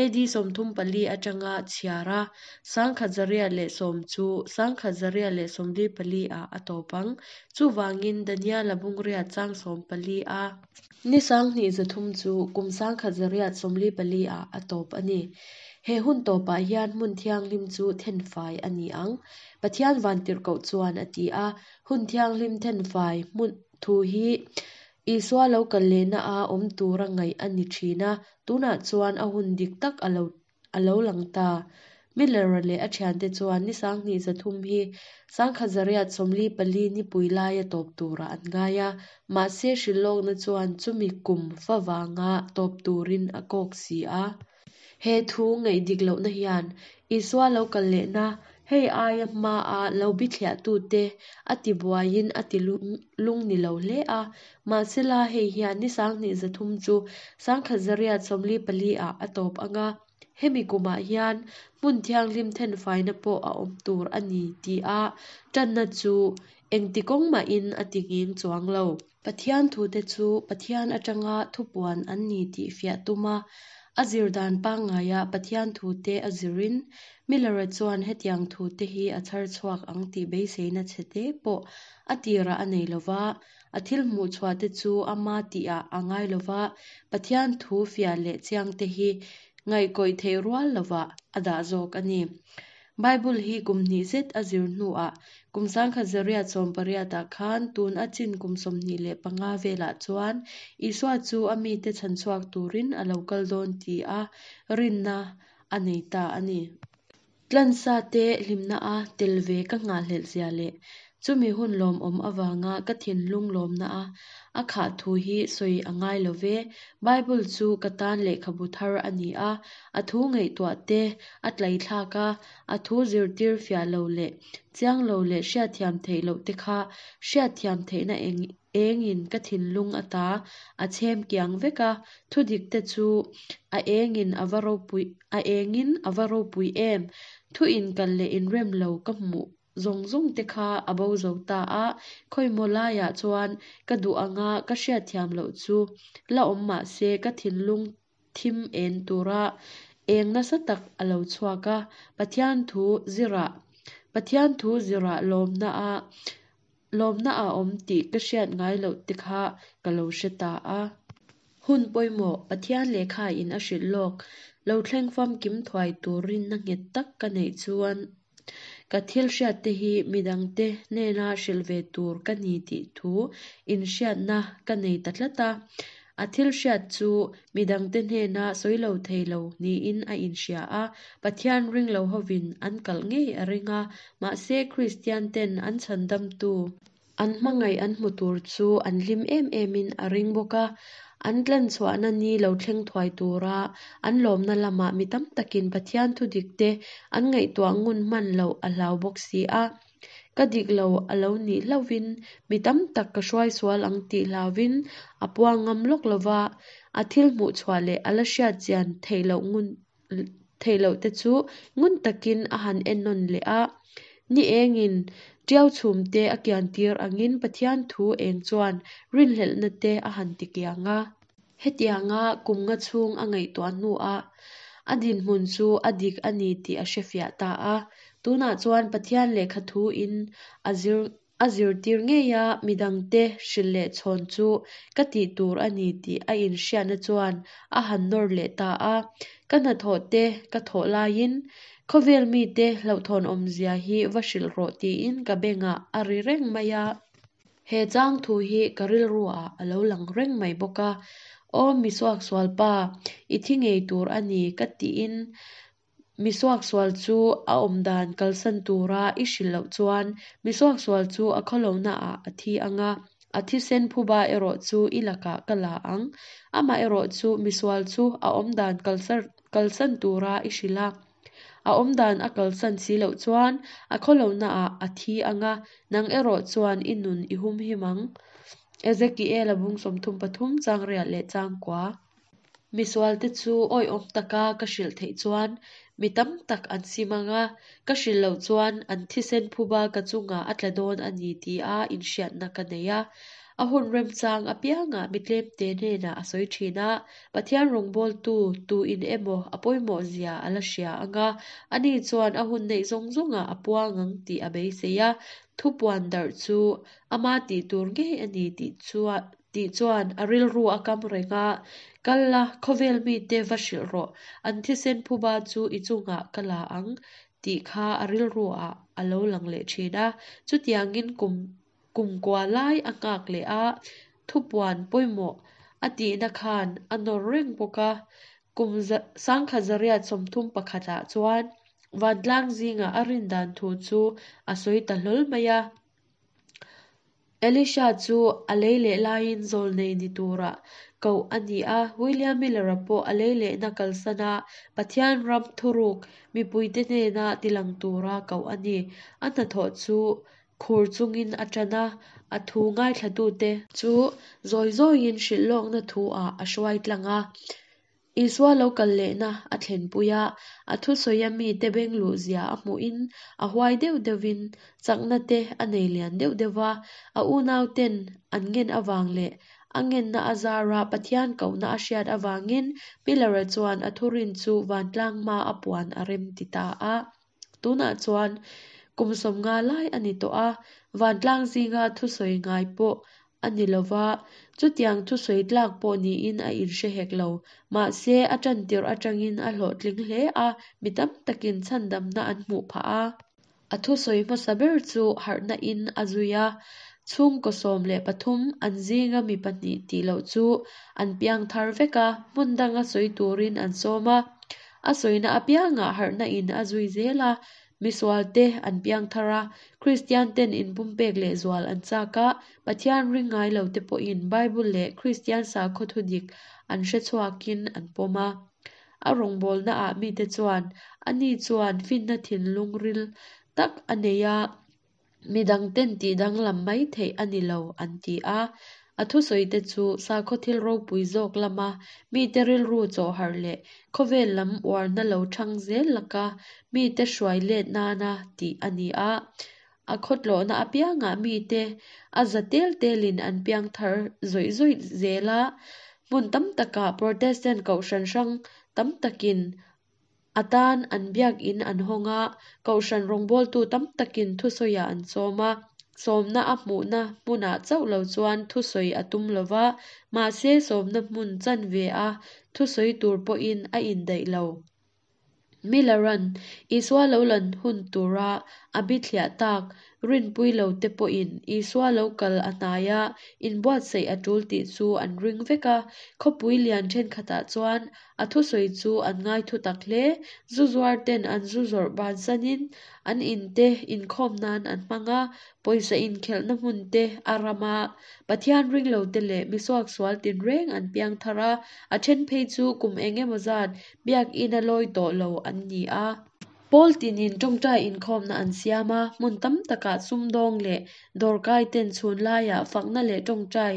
AD 34 atanga chhiar a, 1110 chu 1144 ah a tawp ang. Chuvangin Daniela bung riat chang 14 a. Ni 2300 chu kum 1844 ah a tawp a ni. He hun tawpah hian hmun thianghlim chu thenfai a ni ang. Pathian vantirhkoh chuan a ti a, hun thianghlim thenfai hmun thu hi Isua lo kal lehna a awm tura ngaih a ni thin a, tunah chuan a hun dik tak a lo a lo lang ta. Miller-a leh a thiante chuan ni 2300 hi 1844 nipui laia tawp turah an ngai a, mahse hrilhlawkna chuan chumi kum favanga tawp turin a kawk si a. He thu ngaih dik lohna hian Isua lo kal lehna hei aia hmaa lo bithliahtute a tibuaiin a ti lung ni lo hle a. Mahsela hei hian ni 2300 chu 1844 ah a tawp anga, hemi kumah hian hmun thianghlim thenfaina pawh a awm tur a ni tih a tanna chu engti kawng mahin a ti nghing chuang lo. Pathian thute chu Pathian atanga thupuan an ni tih fiah tum a, a zir dan pangngaia Pathian thute a zirin Miller-a chuan hetiang thute hi a chhar chhuak ang tih beiseina chhete pawh a tirah a nei lova, a thil hmuh chhuah te chu ama tihah a ngai lova, Pathian thu fiah leh chiang te hi ngaihkawih theih rual lovah a dah zawk a ni. Bible hi kum hnih zet a zir hnuah kum 1880 ah khan tun a chin kum 25 velah chuan Isua chu a mite chhanchhuak turin a lo kal dawn ti a rinna a nei ta a ni. Tlansa te hlimna a tel ve ka nghahhlelh zia leh chumi hun lawmawm avanga ka thinlung lawmna a a khah thu hi sawi a ngai lo ve. Bible chu ka tan lehkhabu thar a ni a, a thu ngaihtuah te a tlaithlak a, a thu zirtir fiah lo leh chiang lo leh hriatthiam theih loh te kha hriatthiam theihna eng engin ka thinlung ata a chhem kiang vek a, thu dik te chu a engin a va ropui a engin a va ropui em. Thu inkal leh inrem lo ka hmuh zawng zawng te kha a bo zo ta a, khawimaw laiah chuan ka duh anga ka hriatthiam loh chu la awm mahse ka thinlung thim en tura eng nasa tak a lo chhuak a, Pathian thu zirah Pathian thu zirah lawmna a lawmna a awm tih ka hriat ngai loh te kha ka lo hre ta a. Hun pawimawh Pathian lehkha in a hrilh lawk lo thleng famkim thuai tur rinna nghet tak ka neih chuan ka thil hriat te hi midangte hnena hrilh ve tur ka ni tih thu inhriatna ka nei ta tlat a. A thil hriat chu midangte hnena sawi lo thei lo niin a inhria a, Pathian ring lo hovin an kalh ngei a ring a, mahse Kristian ten an chhandamtu, an hmangaih an hmu tur chu an hlim em emin a ring bawk a, an tlanchhuahna ni lo thleng thuai tura an lawmna lamah mi tam takin Pathian thu dik te an ngaihtuah ngun hman loh a hlau bawk si a. Ka dik lo a lo nih hlauhin mi tam tak ka hruai sual ang tih hlauvin a puang ngam lawk lova, a thil hmuh chhuah leh a la hriat chian theih loh ngun theih loh te chu ngun takin a han ennawn leh a. Ni engin tiau chhum te a kian tir angin Pathian thu eng chuan rinhlelhna te a han ti kiang a. Hetianga kum nga chhung a ngaihtuah hnuah a dinhmun chu a dik a ni tih a hrefiah ta a. Tunah chuan Pathian lehkha thuin a zir a zirtir ngei a, midangte hrilh leh chhawn chu ka tih tur a ni tih a inhriatna chuan a han nawr leh ta a. Ka hnathawh te ka thawh laiin khawvel mite hlauhthawn awmzia hi va hrilh rawh tiin ka bengah a ri reng mai a. He chang thu hi ka rilru ah a lo lang reng mai bawk a, Aw mi suaksual pa, i thi ngei tur a ni ka tiin mi suaksual chu a awm dan kalsan tura i hrilh loh chuan mi suaksual chu a khawlohna ah a thi ang a, a thisen phuba erawh chu i lakah ka la ang. Amah erawh chu misual chu a awm dan kalsan tura i hrilh a. A awmdan a kalsan si loh chuan a khawlohnaah a thi ang a, nang erawh chuan i nun i humhim ang. Ezekiel-a bung 33 chang riat leh chang kua. Misualte chu awihawm taka ka hrilh theih chuan mi tam tak an sim ang a, ka hrilh loh chuan an thisen phuba ka chungah a tla dawn a ni tia inhriatna ka nei a. A hun remchang apiangah mi tlemte hnenah a sawi thin a, Pathian rawngbawltu tuin emaw a pawimawh zia a la hria ang a, ani chuan a hun neih zawng zawngah a puang ang tih a beisei a, thupuan darh chu ama tih tur ngei a ni tih tih chuan a rilru a kam reng a, Kal la, khawvel mite va hrilh rawh, an thisen phuba chu i chungah ka la ang tih kha a rilru ah a lo lang leh thin a, chutiangin kum Kumkua lai a nghak leh a, thupuan pawimawh a tihna khan a nawr reng bawk a. Kum 1931 ah chuan vantlang zingah a rin dan thu chu a sawi ta hlawl mai a. Elisha chu a lei leh laiin zawlnei ni tura koh a ni a, William Miller-a pawh a lei lehna kalsan a, Pathian ram thuruk mipuite hnena tilang tura koh a ni. A hnathawh chu Khur chungin a ṭan a, a thu ngaithlatute chu zawi zawiin hrilh lawkna thu ah a hruai tlang a. Isua lo kal lehna a thlenpui a, a thusawia mite beng luh zia a hmuhin a huai deuh deuhvin chakna te a nei lian deuh deuh va, a unauten an ngen avang leh a ngenna a zara Pathian kohna a hriat avangin Miller-a chuan a thurin chu vantlang hma a puan a rem ti ta a. Tunah chuan kum 50 lai a ni tawh a, vantlang zinga thusawi ngai pawh a ni lo va, chutiang thusawi tlak pawh niin a inhre hek lo. Mahse, a tantirh atangin a hlawhtling hle a, mi tam takin chhandamna an hmuh phah a. A thusawi hmasa ber chu harhna in a zui a, chhungkaw 13 an zinga mi pahnih tih loh chu an piang thar vek a, hmun danga sawi turin an sawm a. A sawina apiangah harhna in a zui zel a, misual te an piang thar a, Kristian ten inpumpek leh zual an chak a, Pathian ring ngai lo te pawhin Bible leh Kristian sakhaw thudik an hre chhuakin an pawm a. A rawngbawlna ah mite chuan ani chuan finna thinlung ril tak a nei a, Midang ten tih danglam mai theih a ni lo an ti a. A thusawi te chu sakhaw thil ropui zawk lama mite rilru chawhharh leh khawvel lam uarna lo thang zel laka mite hruai let nana tih a ni a. A khawtlawhna apiangah mite a za tel telin an piang thar zawih zawih zel a. Hmun tam takah Protestant kohhran hrang tam takin A tan an biakinn an hawng a, kohhran rawngbawltu tam takin thusawiah an sawm a. Sawmna a hmuhna hmunah chauh lo chuan thusawi a tum lo va, mahse sawmna hmun chanve a thusawi tur pawhin a indaih lo. Miller-a'n Isua lo lan hun tura a bithliah tak Rinpui lo te pawhin Isua lo kal a hnai a, inbuatsaih a tul tih chu an ring vek a. Khawpui lian thenkhatah chuan a thusawi chu an ngai thu tak hle. Zu zuar ten an zu zawrh bansanin an in te inkhawm nan an hmang a, pawisa inkhelhna hmun te a ram a. Pathian ring lo te leh misuaksual tinreng an piang thar a, a then phei chu kum eng emaw zat biakinn a lawi tawh lo an ni a. Pawl tinin tawngtai inkhawmna an siam a, hmun tam takah sumdawng leh dawrkai ten chhun laiah fakna leh tawngtai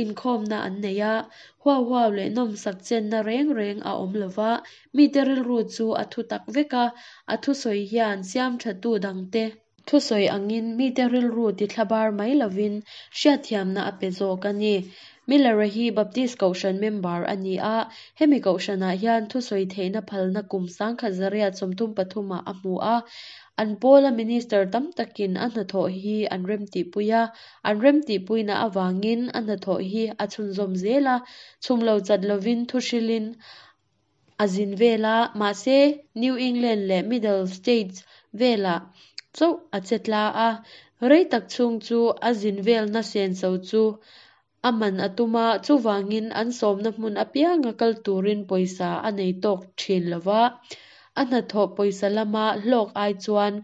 inkhawmna an nei a, huau huau leh nawmsak chenna reng reng a awm lova, mite rilru chu a thutak vek a, a thusawi hian siamthatu dangte thusawi angin mite rilru tithlabar mai lovin hriatthiamna a pe zawk a ni. Miller-a hi Baptist Kohhran member a ni a, hemi kohhranah hian thusawi theihna phalna kum 1933 ah a hmu a. An pawla minister tam takin a hnathawh hi an remtihpui a, an remtihpuina avangin a hnathawh hi a chhunzawm zel a, chhum lo chat lovin thuhrilin a zin vel a, mahse New England leh Middle States velah chauh a che tla a, rei tak chhung chu a zin velna senso chu a man a tum a, chuvangin an sawmna hmun apianga kal turin pawisa a nei tawk thin lo va, a hnathawh pawisa lama hlawk ai chuan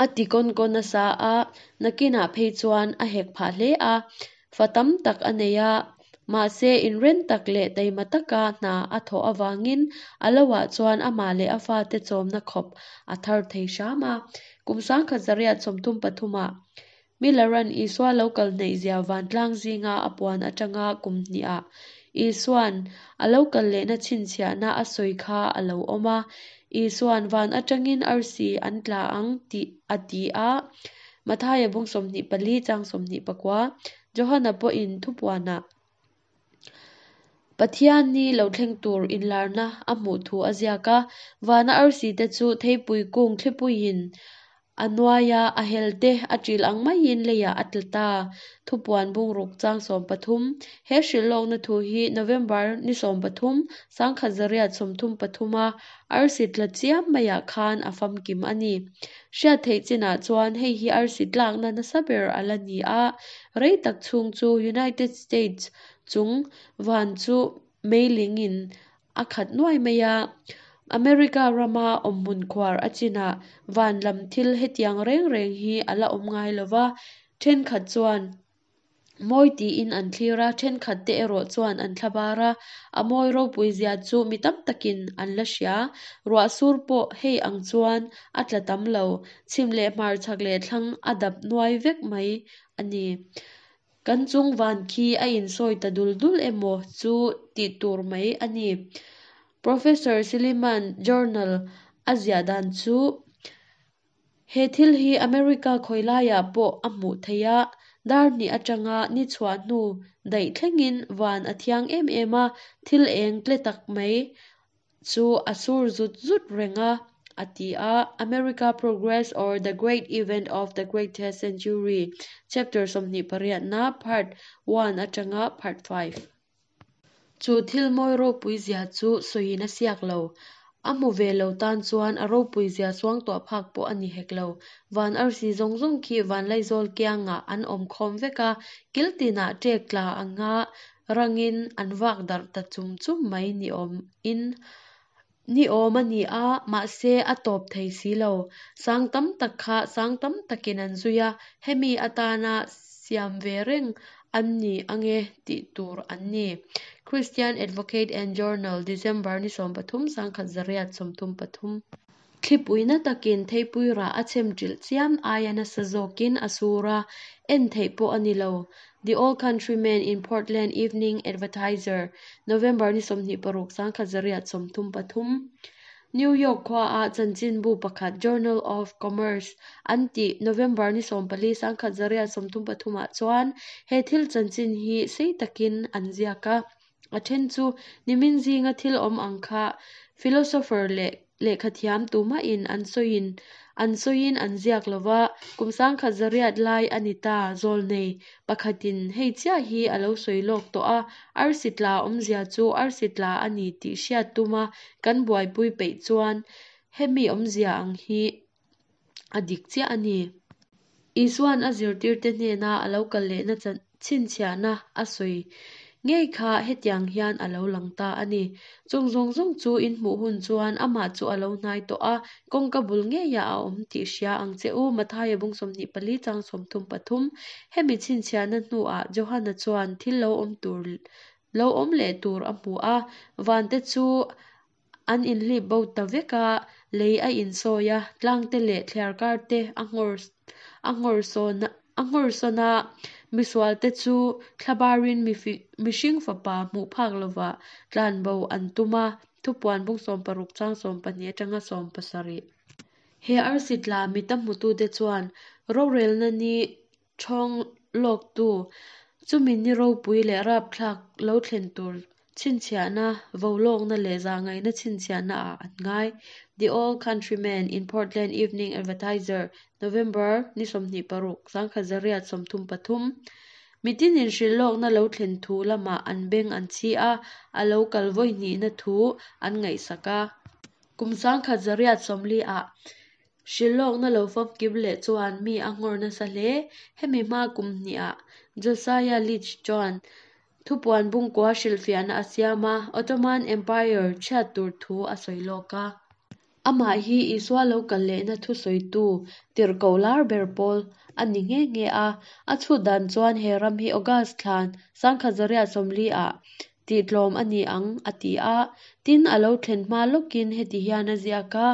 a ti kawn kawn nasa a, nakinah phei chuan a hek phah hle a, fa tam tak a nei a, mahse inren tak leh taima taka hna a thawh avangin a lohah chuan amah leh a fate chawmna khawp a thar thei hram a. Kum 1933 ah Miller-a'n Isua lo kal hnaihzia vantlang zinga a puan atanga kum hnihah Isua'n a lo kal lehna chhinchhiahna a sawi kha a lo awm a. Isua'n van atangin arsi an tla ang tih a ti a, Mathaia bung 24 chang 29, Johana pawhin thupuanah Pathian ni lo thleng tur inlarna a hmuh thu a ziak a, vana arsi te chu theipui kung thlipuiin a nuaia a hel te a ṭil ang maiin leiah a tla ta. Thupuan bungruk chang 13. He hrilhlawkna thu hi November ni 13, 1933 a arsi tla chiam maiah khan a famkim a ni. Hriat theih chinah chuan hei hi arsi tlakna nasa ber a la ni a, rei tak chhung chu United States chung van chu meilingin a khat nuai mai a. America rama awmhmun khuar a chinah van lam thil hetiang reng reng hi a la awm ngai lo va, thenkhat chuan mawi tiin an thlir a, thenkhat te erawh chuan an thlabar a, a mawi ropui zia chu mi tam takin an la hria. Ruah sur pawh hei ang chuan a tla tam lo, chhim leh hmar chhak leh thlang a dap nuai vek mai a ni. Kan chung van khi a insawi ta dul dul emaw chu tih tur mai a ni. Professor Silliman Journal a ziah dan chu, He thil hi America khawi laiah pawh a hmuh theih a, dar hnih atanga ni chhuah hnu daih thlengin van a thiang em em a, thil eng tle tak mai chu a sur zut zut reng a, a ti a, America Progress or the Great Event of the Greatest Century, Chapter 28 na Part 1 atanga Part 5. Chu thil mawi ropui zia chu sawiin a siak lo. A hmu ve lo tan chuan a ropui zia suangtuah phak pawh a ni hek lo. Van arsi zawng zawng khi vanlaizawl kiangah an awm khawm vek a, kil tinah ṭek tla anga rangin an vak darh ta chum chum mai ni awm in ni awm a ni a, mahse a tawp thei si lo. Sang tam tak kha sang tam takin an zui a, hemi atana siam ve reng an ni ange tih tur an ni. Christian Advocate and Journal, December ni 13, 1933. Thlipui na takin theipui rah a chhem ṭilh chiam aia nasa zawkin a sur a, en theih pawh a ni lo. The Old Countryman in Portland Evening Advertiser, November ni 26, 1933. New York khuaah chanchinbu pakhat Journal of Commerce an tih November ni 14, 1933 ah chuan he thil chanchin hi sei takin an ziak a. A then chu nimin zinga thil awm ang kha philosopher leh lehkhathiam tumahin an sawiin an sawiin an ziak lo va, kum 1900 lai a ni ta, zawlnei pakhatin hei chiah hi a lo sawi lawk tawh a, arsi tla awmzia chu arsi tla a ni tih hriat tuma kan buaipui peih chuan hemi awmzia ang hi a dik chiah a ni. Isua'n a zirtirte hnena a lo kal lehna chhinchhiahna a sawi ngei kha hetiang hian a lo lang ta a ni. Chung zawng zawng chu in hmuh hun chuan amah chu a lo hnai tawh a, kawngka bul ngeiah a awm tih hria ang che u, Mathaia bung 24 chang 33. Hemi chhinchhiahna hnuah Johana chuan thil lo awm tur lo awm leh tur a hmu a, vante chu An inhlip bo ta vek a, lei a insawi a, tlangte leh thliarkarte a nghawr a nghawr sawn a nghawr sawn a, misualte chu thlabarin mihring fapa hmuh phak lova tlanbo an tum a, Thupuan bung 16 chang 12 atanga 17. He arsi tla mita hmutute chuan rorelna ni Ṭhawng lawktu, chumi ni ropui leh rapthlak lo thlen tur chhinchhiahna, volawkna leh zahngaihna chhinchhiahna ah an ngai. The Old Countryman in Portland Evening Advertiser, November ni 26, 1933. Mitin inhrilh lawkna lo thlen thu lamah an beng an chhi a, a lo kal vawi hnihna thu an ngaihsak a. Kum 1940 ah Hrilhlawkna lo famkim leh chuan mi a nghawr nasa hle. Hemi hma kum hnihah Josiah Litch chuan thupuan bungkua hrilhfiahna a siam a, Ottoman Empire chhiat tur thu a sawi lawk a. Amah hi Isua lo kal lehna thusawitu tirhkoh lar ber pawl a ni nghe nghe a. A chhut dan chuan he ram hi August thla 1940 ah tihtlawm a ni ang a ti a. Tin, a lo thlen hma lawkin heti hian a ziak a,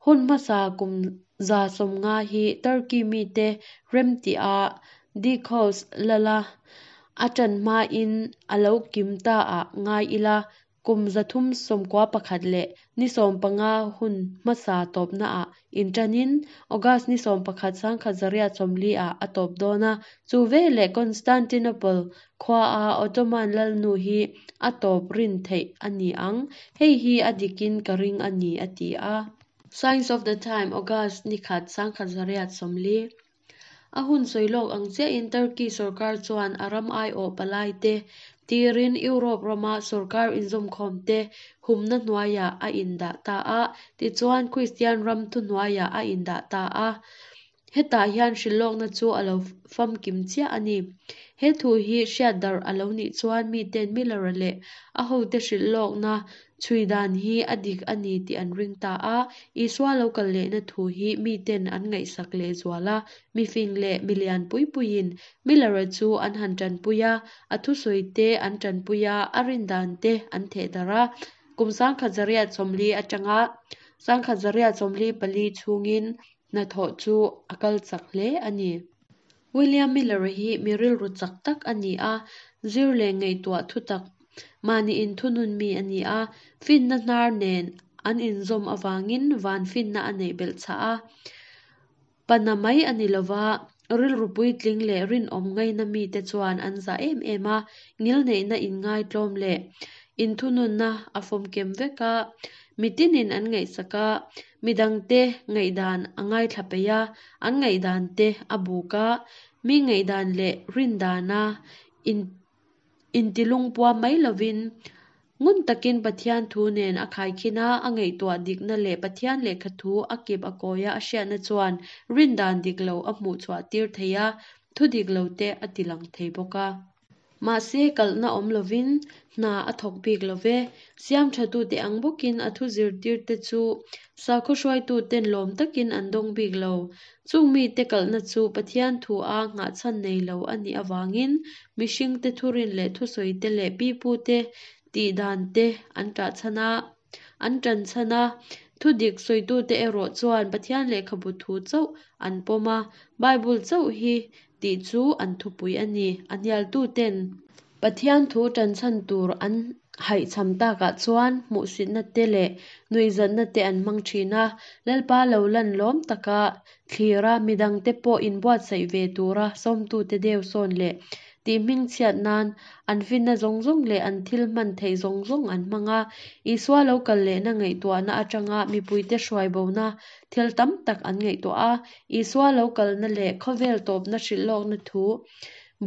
Hun hmasa kum 150 hi Turkey mite remtih-a Dikos lala a ṭan hmain a lo kim ta ah ngai ila, kum 391 leh ni 15 hun hmasa tawpnaah inṭanin August ni 11 1940 ah a tawp dawn a, chu veleh Constantinople khuaa Ottoman lalnu hi a tawp rin theih a ni ang, hei hi a dikin ka ring a ni a ti a. Signs of the Time, August ni khat 1940. A hun sawi lawk ang chiahin Turkey sorkar chuan a ram aiawh palaite tirin Europe rama sorkar inzawmkhawmte humna hnuaiah a indah ta a, tichuan Kristian ram thuhnuaiah a indah ta a. Hetah hian hrilhlawkna chu a lo famkim chiah a ni. He thu hi hriat darh a lo nih chuan miten Miller-a leh a hote hrilhlawkna chhui dan hi a dik a ni tih an ring ta a. Isua lo kal lehna thu hi miten an ngaihsak lehzual a, mifing leh milian pui puiin Miller-a chu an han tanpui a, a thusawite an tanpui a, a rindan te an theh darh a. Kum 1940 atanga 1944 chhungin Hnathawh chu a kal chak hle a ni. William Miller-a hi mi rilru chak tak a ni a, zir leh ngaihtuah thu tak, mahni inthunun mi a ni a, finna hnar nen an inzawm avangin van finna a neih belh chhah a. Pana mai a ni lova, rilru puitling leh rinawm ngaina mite chuan an zah em em a, ngilneihna inngaitlawm leh inthununna a fawmkem vek a, mitinin an ngaihsak a, Midangte ngaihdan a ngaithla peih a, an ngaihdan te a buk a, mi ngaihdan leh rindana in intilungpuam mai lovin ngun takin Pathian thu nen a khaikhin a, a ngaihtuah dikna leh Pathian lehkha thu a kip a kawia a hriatna chuan rindan dik lo a hmuh chhuah tir thei a, thu dik lo te a tilang thei bawk a. Mahse, kalhna awm lovin hna a thawk bik lo ve. Siam thatute ang bawkin a thu zirtirte chu sakhaw hruaituten lawm takin an dawng bik lo. Chung mite kalhna chu Pathian thua nghahchhan nei lo a nih avangin mihringte thurin leh thusawite leh pipute tihdante an ṭahchhan a, an ṭanchhan a. Thudik sawitute erawh chuan Pathian lehkhabu thu chauh an pawm a, Bible chauh hi tih chu an thupui a ni. A hnialtuten Pathian thu ṭanchhan tur an haihchham takah chuan hmuhsitna te leh nuihzatna te an hmang ṭhin a, Lalpa lo lan lawm taka thlir a, midangte pawh inbuatsaih ve tura sawmtute deu sawn leh tih hmingchhiat nan an finna zawng zawng leh an thil hman theih zawng zawng an hmang a. Isua lo kal lehna ngaihtuahna aṭanga mipuite hruai bona thil tam tak an ngaihtuah a, Isua lo kalna leh khawvel tawpna hrilhlawkna thu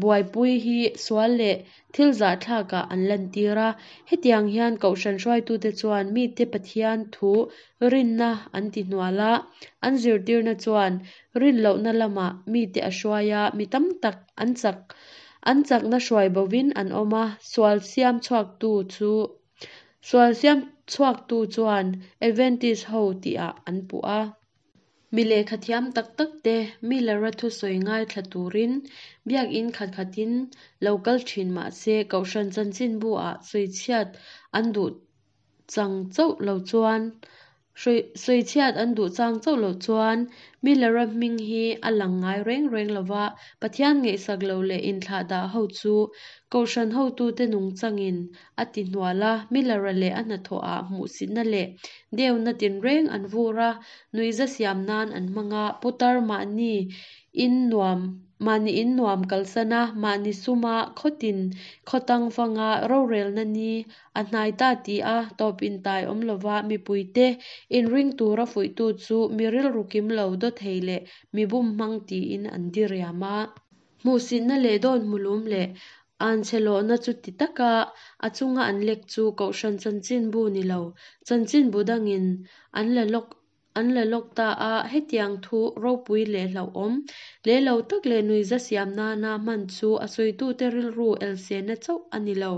buaipui hi sual leh thil zahthlakah an lantir a. Hetiang hian Kohhran hruaitute chuan mite Pathian thu rinna an ti hnual a, an zirtirna chuan rinlohna lamah mite a hruai a, mi tam tak an chak an chakna hruai bovin an awm a, sual siam chhuaktu chu sual siam chhuaktu chuan Adventist ho tihah an puh a. Mi lehkha thiam tak tak te Miller-a thusawi ngaithla turin biakinn khat khatin lo kal thin mah se Kohhran chanchinbu ah sawichhiat an duh. chang chauh lo chuan Sawichhiat an duh chang chauh loh chuan Miller-a hming hi a lang ngai reng reng lo va, Pathian ngaihsak lo leh inthlahdah ho chu Kohhran hotute nungchangin a ti hnual a, Miller-a leh a hnathawhah hmuhsitna leh deuna tinreng an vur a, nuihza siam nan an hmang a, putar mahni in nuam Mahni in nuam kalsan a, mahni suma khawtin khawtang fanga rorelna ni a hnai ta ti a, tawp intai awm lova mipuite inring tura fuihtu chu mi rilru kim lo dawthei leh mi bum hmang tiin an diriam a. Hmuhsitna leh dawn hmulum leh anchhe lawhna chuti taka a chunga an lek chu Kohhran chanchinbu ni lo, chanchinbu dangin an la lawk An la lawk ta a, hetiang thu ropui leh hlauhawm, leh lo tak leh nuihza siam nana hman chu a sawitute rilru elsenna chauh a ni lo.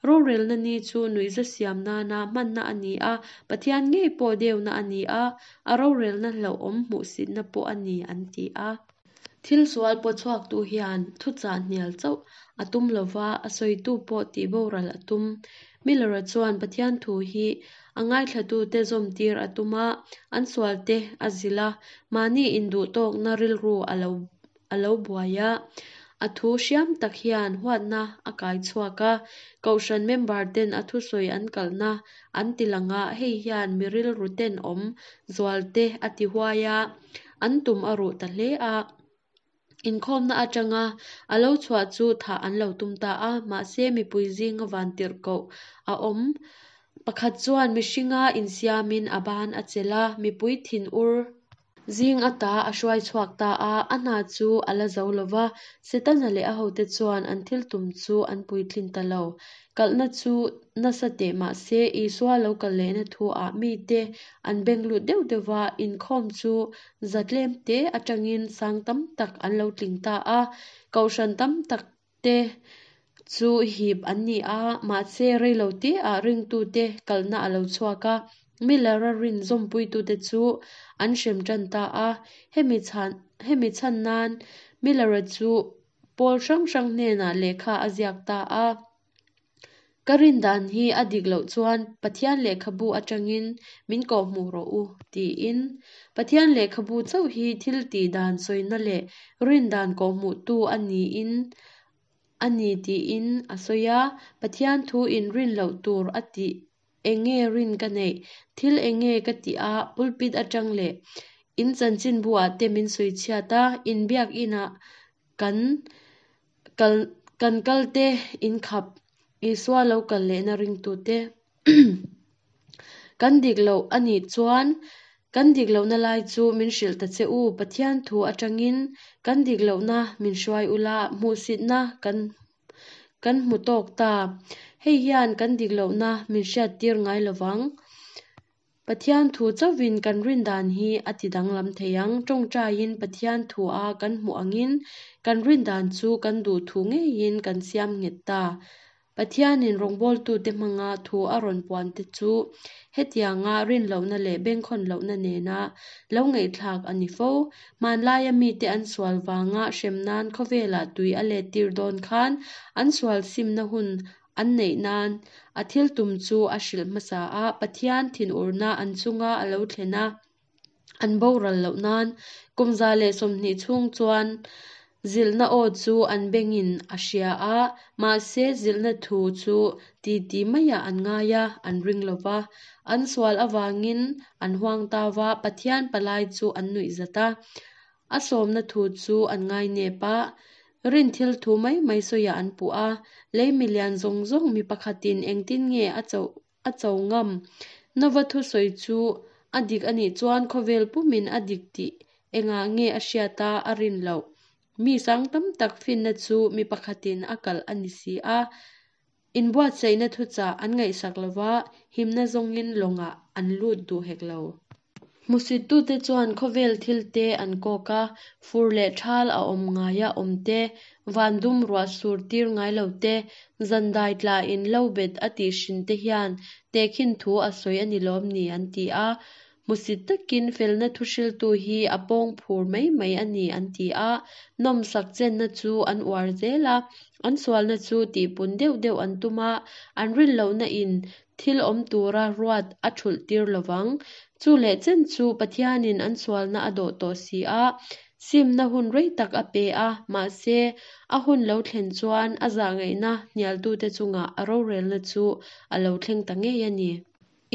Rorelna ni chu nuihza siam nana hmanna a ni a, Pathian ngei pawh deuna a ni a, a rorelna hlauhawm hmuhsitna pawh a ni, an ti a. Thil sual pawchhuaktu hian thuchah hnial chauh a tum lova, a sawitu pawh tihboral a tum. Miller-a chuan Pathian thu hi a ngaithlatute zawmtir a tum a, an sualte a zilh a, mahni induhtawkna rilru a lo a lo buai a. A thu hriam tak hian huatna a kai chhuak a, Kohhran member ten a thusawi an kalhna an ti lang a, hei hian mi rilru tenawm zualte a ti huai a. An tum a ruh ta hle a, inkhawmna atanga a lo chhuah chu thah an lo tum ta a, mahse mipui zinga vantirhkoh a awm pakhat chuan mihringa insiamin a ban a chelh a, mipui thinur zing ata a hruai chhuak ta a, a hna chu a la zo lo va, Setana leh a hote chuan an thil tum chu an puitlin ta lo. Kalhna chu nasa teh mah se, Isua lo kal lehna thu-ah mite an beng lut deuh deuh va, inkhawm chu za tlem te atangin sang tam tak an lo tling ta a, kohhran tam tak te chu hip an ni a, mahse reilo te-ah ringtute kalhna a lo chhuak a, Miller-a rin zawmpuitute chu an hrem tan ta a, hemi chhan hemi chhan nan Miller-a chu Pawl hrang hrang hnenah lehkha a ziak ta a. Ka rin dan hi a dik loh chuan Pathian lehkhabu atangin min kawhhmuh rawh u, tiin. Pathian lehkhabu chauh hi thil tih dan sawina leh rin dan kawhhmuhtu a niin a ni tiin a sawi a. Pathian thu in rin loh tur a tih Enge rin ka neih? Thil enge ka tih a, pulpit atang leh in chanchinbu ah te min sawi chhiat a, in biak in ah kan kal kan kal te in khap Isua lo kal lehna ringtu te kan dik loh a nih chuan kan dik lohna lai chu min hrilh ta che u, Pathian thu atangin kan dik lohna min hruai ula, hmuhsitna kan Kan hmu tawk ta. Hei hian kan dik lohna min hriattir ngai lo vang. Pathian thu chauhin kan rin dan hi a ti danglam thei ang. Tawngtaiin Pathian thua kan hmuh angin kan rin dan chu kan duh thu ngeiin kan siam nghet ta. Pathianin rawngbawltute hmanga thu a rawn puan te chu hetianga rin lohna leh bengkhawn lohna nena lo ngaihthlak a ni fo. Hmanlaia mite an sual vanga hrem nan khawvelah tui a let tir dawn khan an sual simna hun an neih nan a thil tum chu a hrilh hmasa a, Pathian thinurna an chunga a lo thlen a, an boral loh nan kum 120 chhung chuan zilhna aw chu an bengin a hria a, mahse zilhna thu chu titi maiah an ngai a, an ring lo va. An sual avangin an huang ta va, Pathian palai chu an nuih zat a. A sawmna thu chu an ngai nep a, rin thil thu mai mai sawiah an puh a. Lei milian zawng zawng mi pakhatin engtin nge a cho a cho ngam? Nova thusawi chu a dik a nih chuan khawvel pumin a dik tih engah nge a hriat a, a rin loh? Mi sang tam tak finna chu mi pakhatin a kalh a ni si a. Inbuatsaihna thuchah an ngaihsak lo va, himna zawngin lawngah an lut duh hek lo. Hmusittute chuan khawvel thilte an kawk a, fur leh thal a awm ngaia awm te, van dum ruah sur tir ngai lo te, zan dai tlain lo bet a tih hrin te hian tehkhin thu a sawi a ni lawm ni an ti a. Hmusit takin felna thuhriltu hi a pawng phur mai mai a ni an ti a, nawmsak chenna chu an uar zel a, an sualna chu tihpun deuh deuh an tum a, an rin lohna in thil awm tura ruat a thulh tir lovang. Chu leh chen chu Pathianin an sualna a dawh tawh si a, simna hun rei tak a pe a, mahse, a hun lo thlen chuan a zahngaihna hnialtute chungah a rorelna chu a lo thleng ta ngei a ni.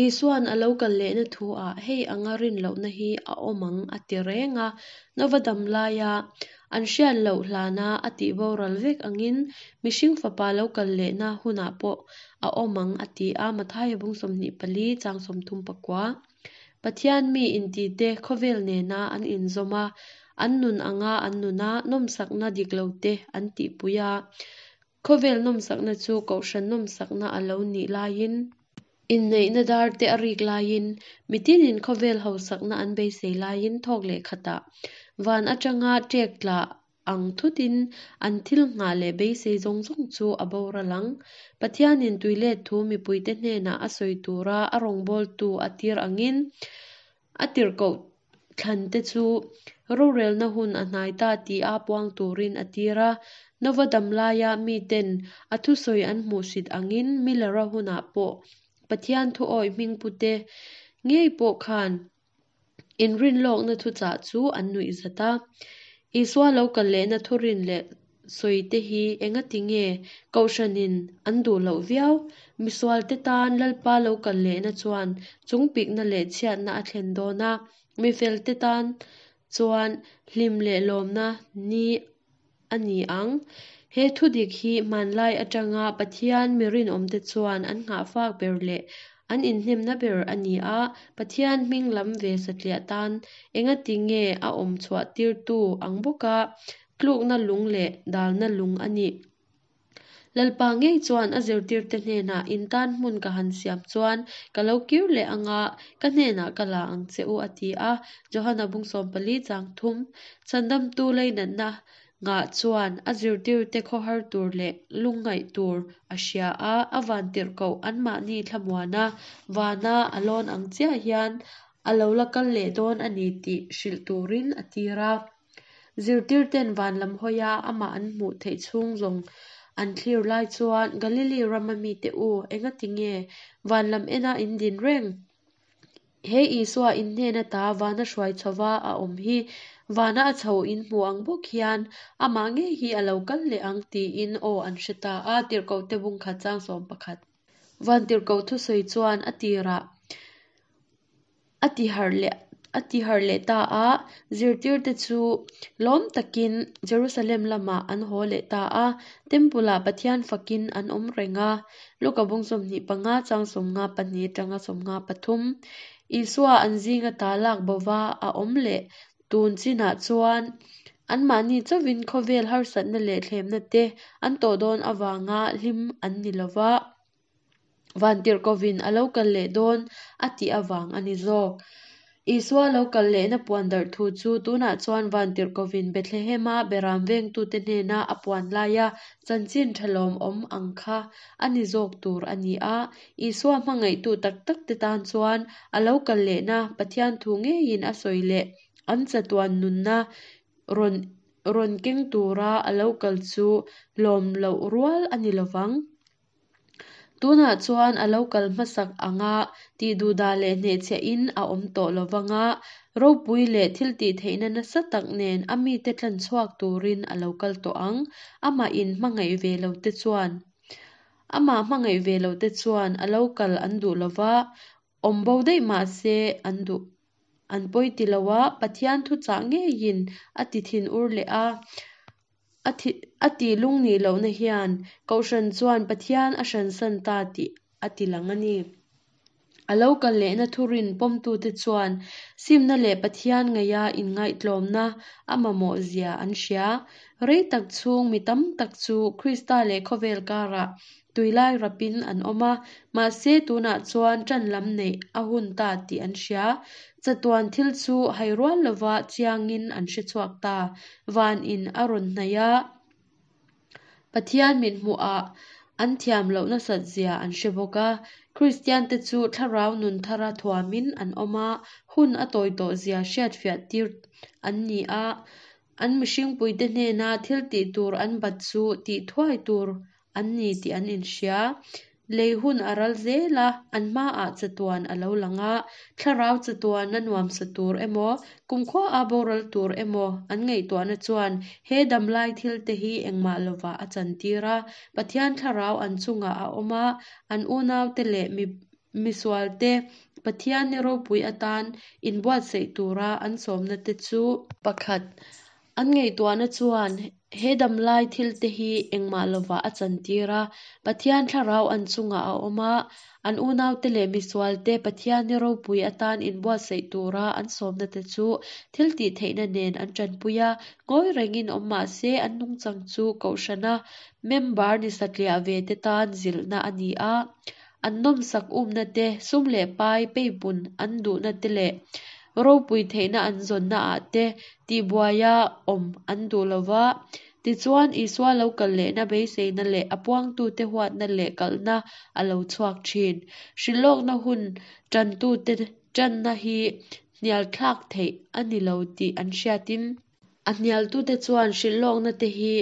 Isua'n a lo kal lehna thu-ah hei anga rin lohna hi a awm ang a ti reng a, Nova dam laia an hriat loh hlana a tih boral vek angin mihring fapa lo kal lehna hunah pawh a awm ang a ti a, Mathaia bung 24 chang 34. Pathian mi intite khawvel nena an inzawm a, an nun anga an nuna nawmsakna dik lote an tihpui a. Khawvel nawmsakna chu kohhran nawmsakna a lo nih laiin, inneihna dar te a rik laiin, mitinin khawvel hausakna an beisei laiin thawk leh khatah van atanga ṭek tla ang thutin an thil nghah leh beisei zawng zawng chu a boral ang. Pathianin tuilet thu mipuite hnenah a sawi tura a rawngbawltu a tir angin a tirhkoh thlante chu rorelna hun a hnai ta tih a puang turin a tir a. Nova dam laia miten a thusawi an hmuhsit angin Miller-a hunah pawh Pathian thuawi hmingpute ngei pawh khan inrinlawkna thuchah chu an nuihzat a. Isua lo kal lehna thurin leh sawite hi engati nge Kohhranin an duh loh viau? Misualte tan Lalpa lo kal lehna chuan chungpikna leh chhiatna a thlen dawn a, mifelte tan chuan hlim leh lawmna ni a ni ang. He thudik hi hmanlai atanga Pathian mi rinawmte chuan an nghahfak ber leh an inhnemna ber a ni a, Pathian hming lam ve satliah tan engati nge a awm chhuah tirtu ang bawka tlukna lung leh dalna lung a nih? Lalpa ngei chuan a zirtirte hnenah in tan hmun ka han siam chuan ka lo kir leh anga ka hnenah ka la ang che u a ti a, Johana bung 14 chang thum, Chhandamtu leinatna ngah chuan a zirtirte khawhar tur leh lungngaih tur a hria a, a vantirhkoh anmahni thlamuana vana a lawn ang chiah hian a lo la kal leh dawn a ni tih hrilh turin a tir a. Zirtirten van lam hawia amah an hmuh theih chhung zawng an thlir lai chuan Galili rama mite u, engati nge van lam ena in din reng? He Isua in hnen ata vana hruai chhova a awm hi vana a chho in hmu ang bawk hian amah ngei hi a lo kal leh ang tiin aw an hre ta a, Tirhkohte bung khat chang 11. Vantirhkoh thusawi chuan a tirah a ti harh leh a ti harh leh ta a, zirtirte chu lawm takin Jerusalem lamah an haw leh ta a, Temple-ah Pathian fakin an awm reng a. Luka bung 25 chang 52 atanga 53 Isua an zinga ta lak bova a awm leh tun chinah chuan anmahni chauhin khawvel harsatna leh thlemna te an tawh dawn avanga hlim an ni lova. Vantirhkovin a lo kal leh dawn a tih avang a ni zawk. Isua lo kal lehna puan darh thu chu tunah chuan Vantirhkovin Bethlehema beram vengtute hnena a puan laia chanchin tha lawmawm ang kha a ni zawk tur a ni a. Isua hmangaihtu tak takte tan chuan a lo kal lehna Pathian thu ngeiin a sawi leh an chatuan nunna rawn rawn keng tura a lo kal chu lawm loh rual a ni lovang. Tunah chuan a lo kal hmasak anga tihduhdah leh hnehchhiahin a awm tawh lovang a, ropui leh thiltihtheihna nasa tak nen a mite tlan chhuak turin a lo kal tawh ang. Amah in hmangaih ve lote chuan Amah hmangaih ve lote chuan a lo kal an duh lova, awm bo daih mah se an duh an pawi ti lo a, Pathian thuchah ngeiin a ti thin ur leh a. A thi a tih lung nih lohna hian Kohhran chuan Pathian a hransan ta tih a ti lang a ni. A lo kal lehna thurin pawmtute chuan simna leh Pathian ngaia inngaihtlawmna a mamawh zia an hria. Rei tak chhung mi tam tak chu Krista leh khawvel karah tuilai rapin an awm a, mahse tunah chuan ṭan lam neih a hun ta tih an hria. Chatuan thil chu hai rual lova chiangin an hre chhuak ta. Van in a rawn hnaih a, Pathian mit hmuhah an thiam loh nasat zia an hre bawk a. Kristian te chu thlarau nun thara thuamin an awm a, hun a tawi tawh zia hriatfiah tir an ni a, an mihringpuite hnena thil tih tur an bat chu tih thuai tur an ni tih an inhria. Lei hun a ral zel a, an hmaah chatuan a lo lang a, thlarau chatuana nuamsa tur emaw, kumkhua a boral tur emaw an ngaihtuahna chuan he damlai thilte hi engmah lovah a chantir a, Pathian thlarau an chungah a awm a, an unaute leh mi misualte Pathian ni ropui atan inbuatsaih tura an sawmna te chu. Pakhat. An ngaihtuahna chuan he damlai thilte hi engmah lovah a chantir a, Pathian thlarau an chungah a awm a, an unaute leh misualte Pathian ni ropui atan inbuatsaih tura an sawmna te chu thil tih theihna nen an tanpui a, ngawi rengin awm mah se an nungchang chu kohhrana member ni satliah ve te tan zilhna a ni a, an nawmsak umna te, sum leh pai peipun an duhna te leh ropui theihna an zawnna ah te tihbuaia awm an duh lo va. Tichuan, Isua lo kal lehna beiseina leh a puangtute huatna leh kalhna a lo chhuak thin. Hrilhlawkna hun tantute tanna hi hnialthlak theih a ni lo tih an hriatin, A hnialtute chuan hrilhlawkna te hi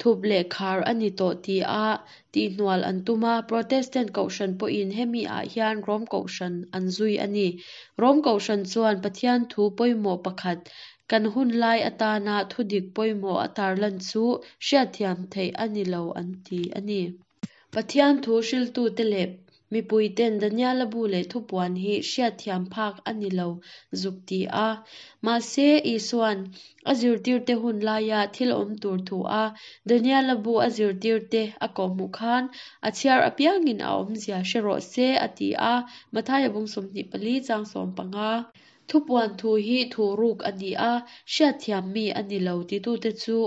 thup leh khar a ni tawh ti a tihhnual an tum a, Protestant Kohhran pawhin hemi ah hian Rom Kohhran an zui a ni. Rom Kohhran chuan Pathian thu pawimawh pakhat, kan hun lai atana thudik pawimawh a tarlan chu hriatthiam theih a ni lo an ti a ni. Pathian thu hriltute leh mipuiten Daniela bu leh thupuan hi hriatthiam phak a ni lo zuk ti a. Mahse, Isua'n a zirtirte hun laia thil awm tur thu a Daniela bu a zirtirte a kawhhmuh khan a chhiar apiangin a awmzia hre rawh se a ti a, Mathaia bung 24 chang 15. Thupuan thu hi thu ruk a ni a, hriatthiam mi a ni lo titute chu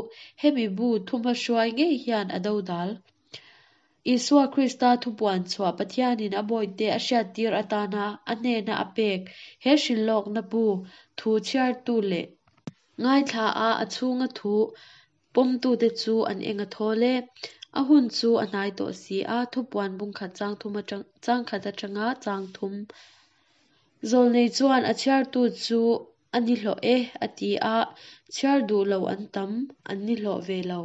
hemi bu thumahruai ngei hian a dodal. Isua Krista thupuan chhuah Pathianin a bawihte a hriattir atana a hnena a pek he hrilhlawkna bu thu chhiartu leh ngaithla a a chhunga thu pawmtute chu an eng a thawl e. A hun chu a hnai tawh si a, thupuan bungkhat chang thum atang chang khat atanga chang thum Zawlnei chuan a chhiartu chu a ni hlawh e a ti a, chhiar duh lo an tam, an ni hlawh ve lo.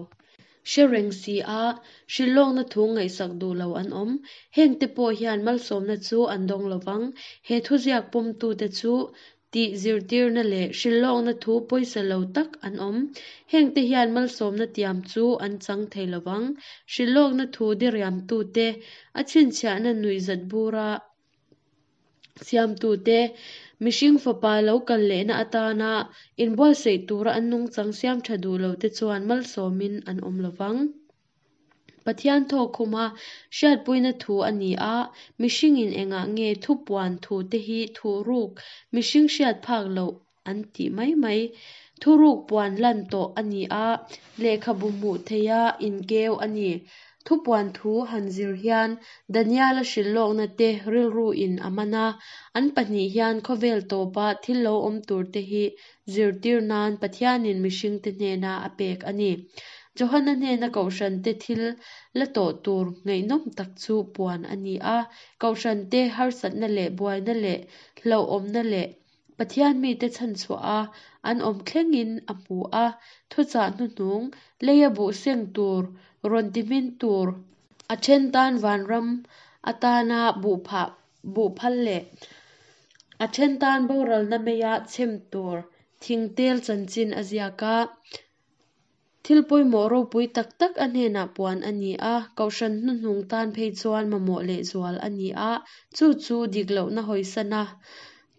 Hre reng si a, hrilhlawkna thu ngaihsak duh lo an awm. Hengte pawh hian malsawmna chu an dawng lo vang. He thuziak pawmtute chu tih zirtirna leh hrilhlawkna thu pawisa lo tak an awm. Hengte hian malsawmna tiam chu an chang thei lo vang. Hrilhlawkna thu diriamtute a chhinchhiahna nuihzat bura Siamtute, mihring fapa lo kal lehna atana inbuatsaih tura an nungchang siam tha duh lote chuan malsawmin an awm lo vang. Pathian thawk khuma hriatpuina thu a ni a, mihringin engah nge thupuan thute hi thuhruk mihring hriat phak loh an tih mai mai. Thuruk puan lan tawh a ni a, lehkhabu hmuh theiha inkeu a ni. Thupuan thu han zir hian Daniela hrilhlawkna te rilruin a man a, an pahnih hian khawvel tawpa thil lo awm tur te hi zirtir nan Pathianin mihringte hnena a pek a ni. Johana hnena kohhrante thil la tawh tur ngaihnawm tak chu puan a ni a, kohhrante harsatna leh buaina leh hlauhawmna leh Pathian mite chhanchhuah a, an awm thlengin a hmu a, thuchah hnuhnung, leia buh seng tur, rawn ti hmin tur, a then tan vanram atana buh phah buh phal leh a then tan boralna meia chhem tur thingtel chanchin a ziak a. Thil pawimawh ropui tak tak a hnenah puan a ni a, kohhran hnuhnung tan phei chuan mamawh lehzual a ni a, chu chu dik lohna hawisana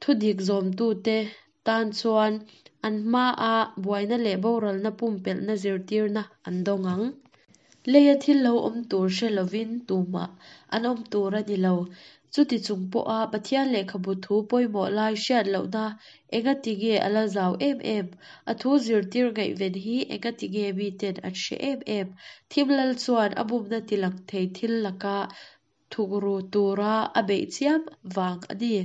thudik zawmtute tan chuan an hmaa buaina leh boralna pumpelhna zirtirna an dawng ang. Leia thil lo awm tur hre lovin tumah an awm tur a ni lo. Chuti chung pawha Pathian lehkhabu thu pawimawh lai hriat lohna engati nge a la zau em em? A thu zirtir ngaihven hi engati nge miten an hre em em? Thim lal chuan a bumna tilang thei thil laka thukru tura a beih chiam vang a ni.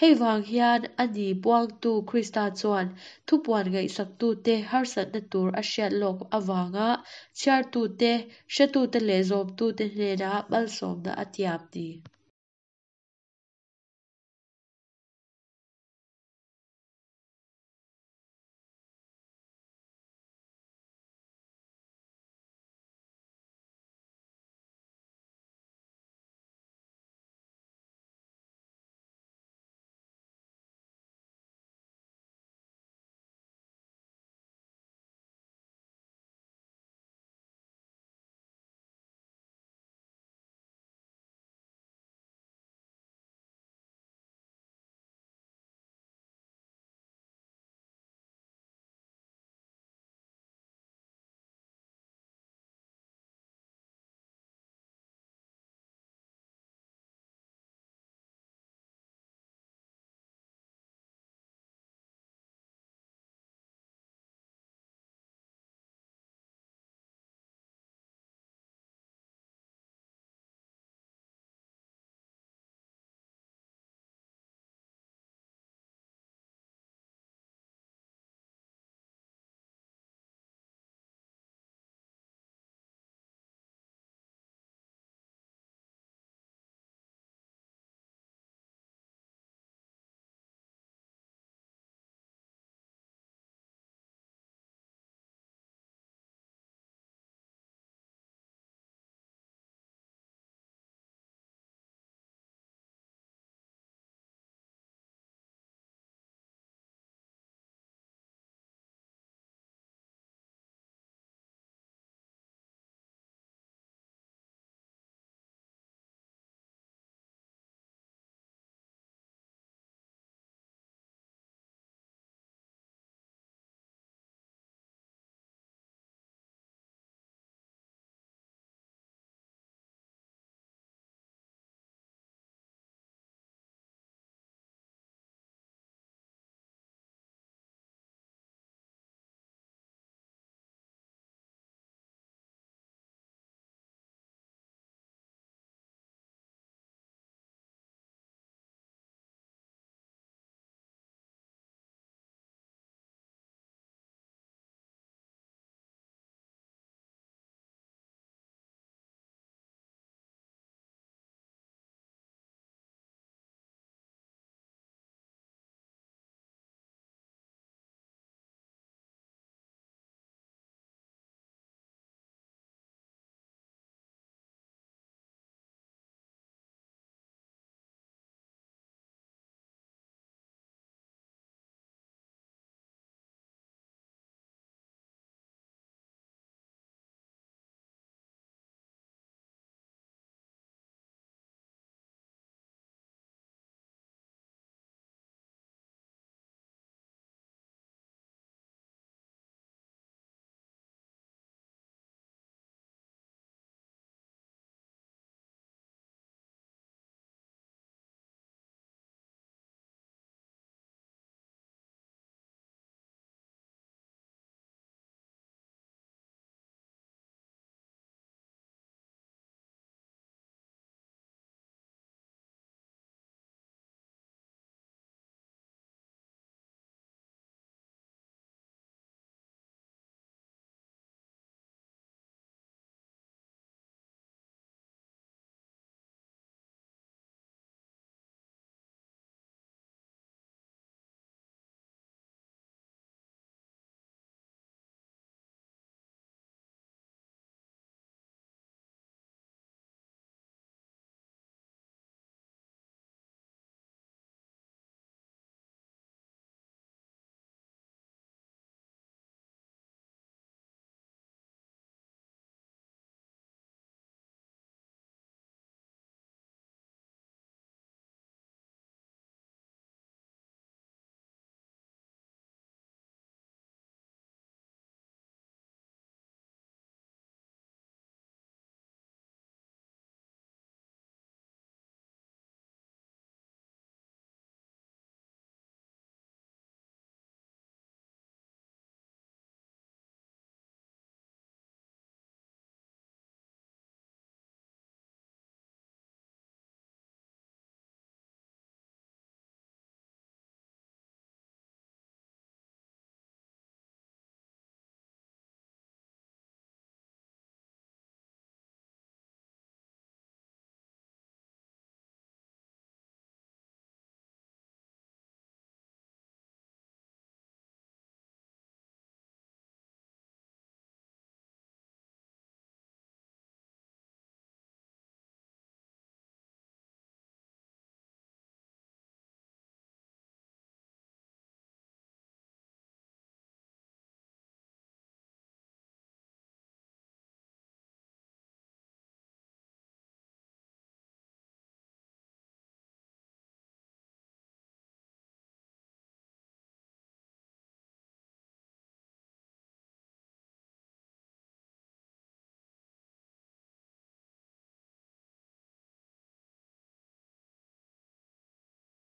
Hei vang hian a ni puangtu Krista chuan thupuan ngaihsaktute harsatna tur a hriat lawk avanga chhiartute, hretute leh zawmtute hnena malsawmna a tiam ni.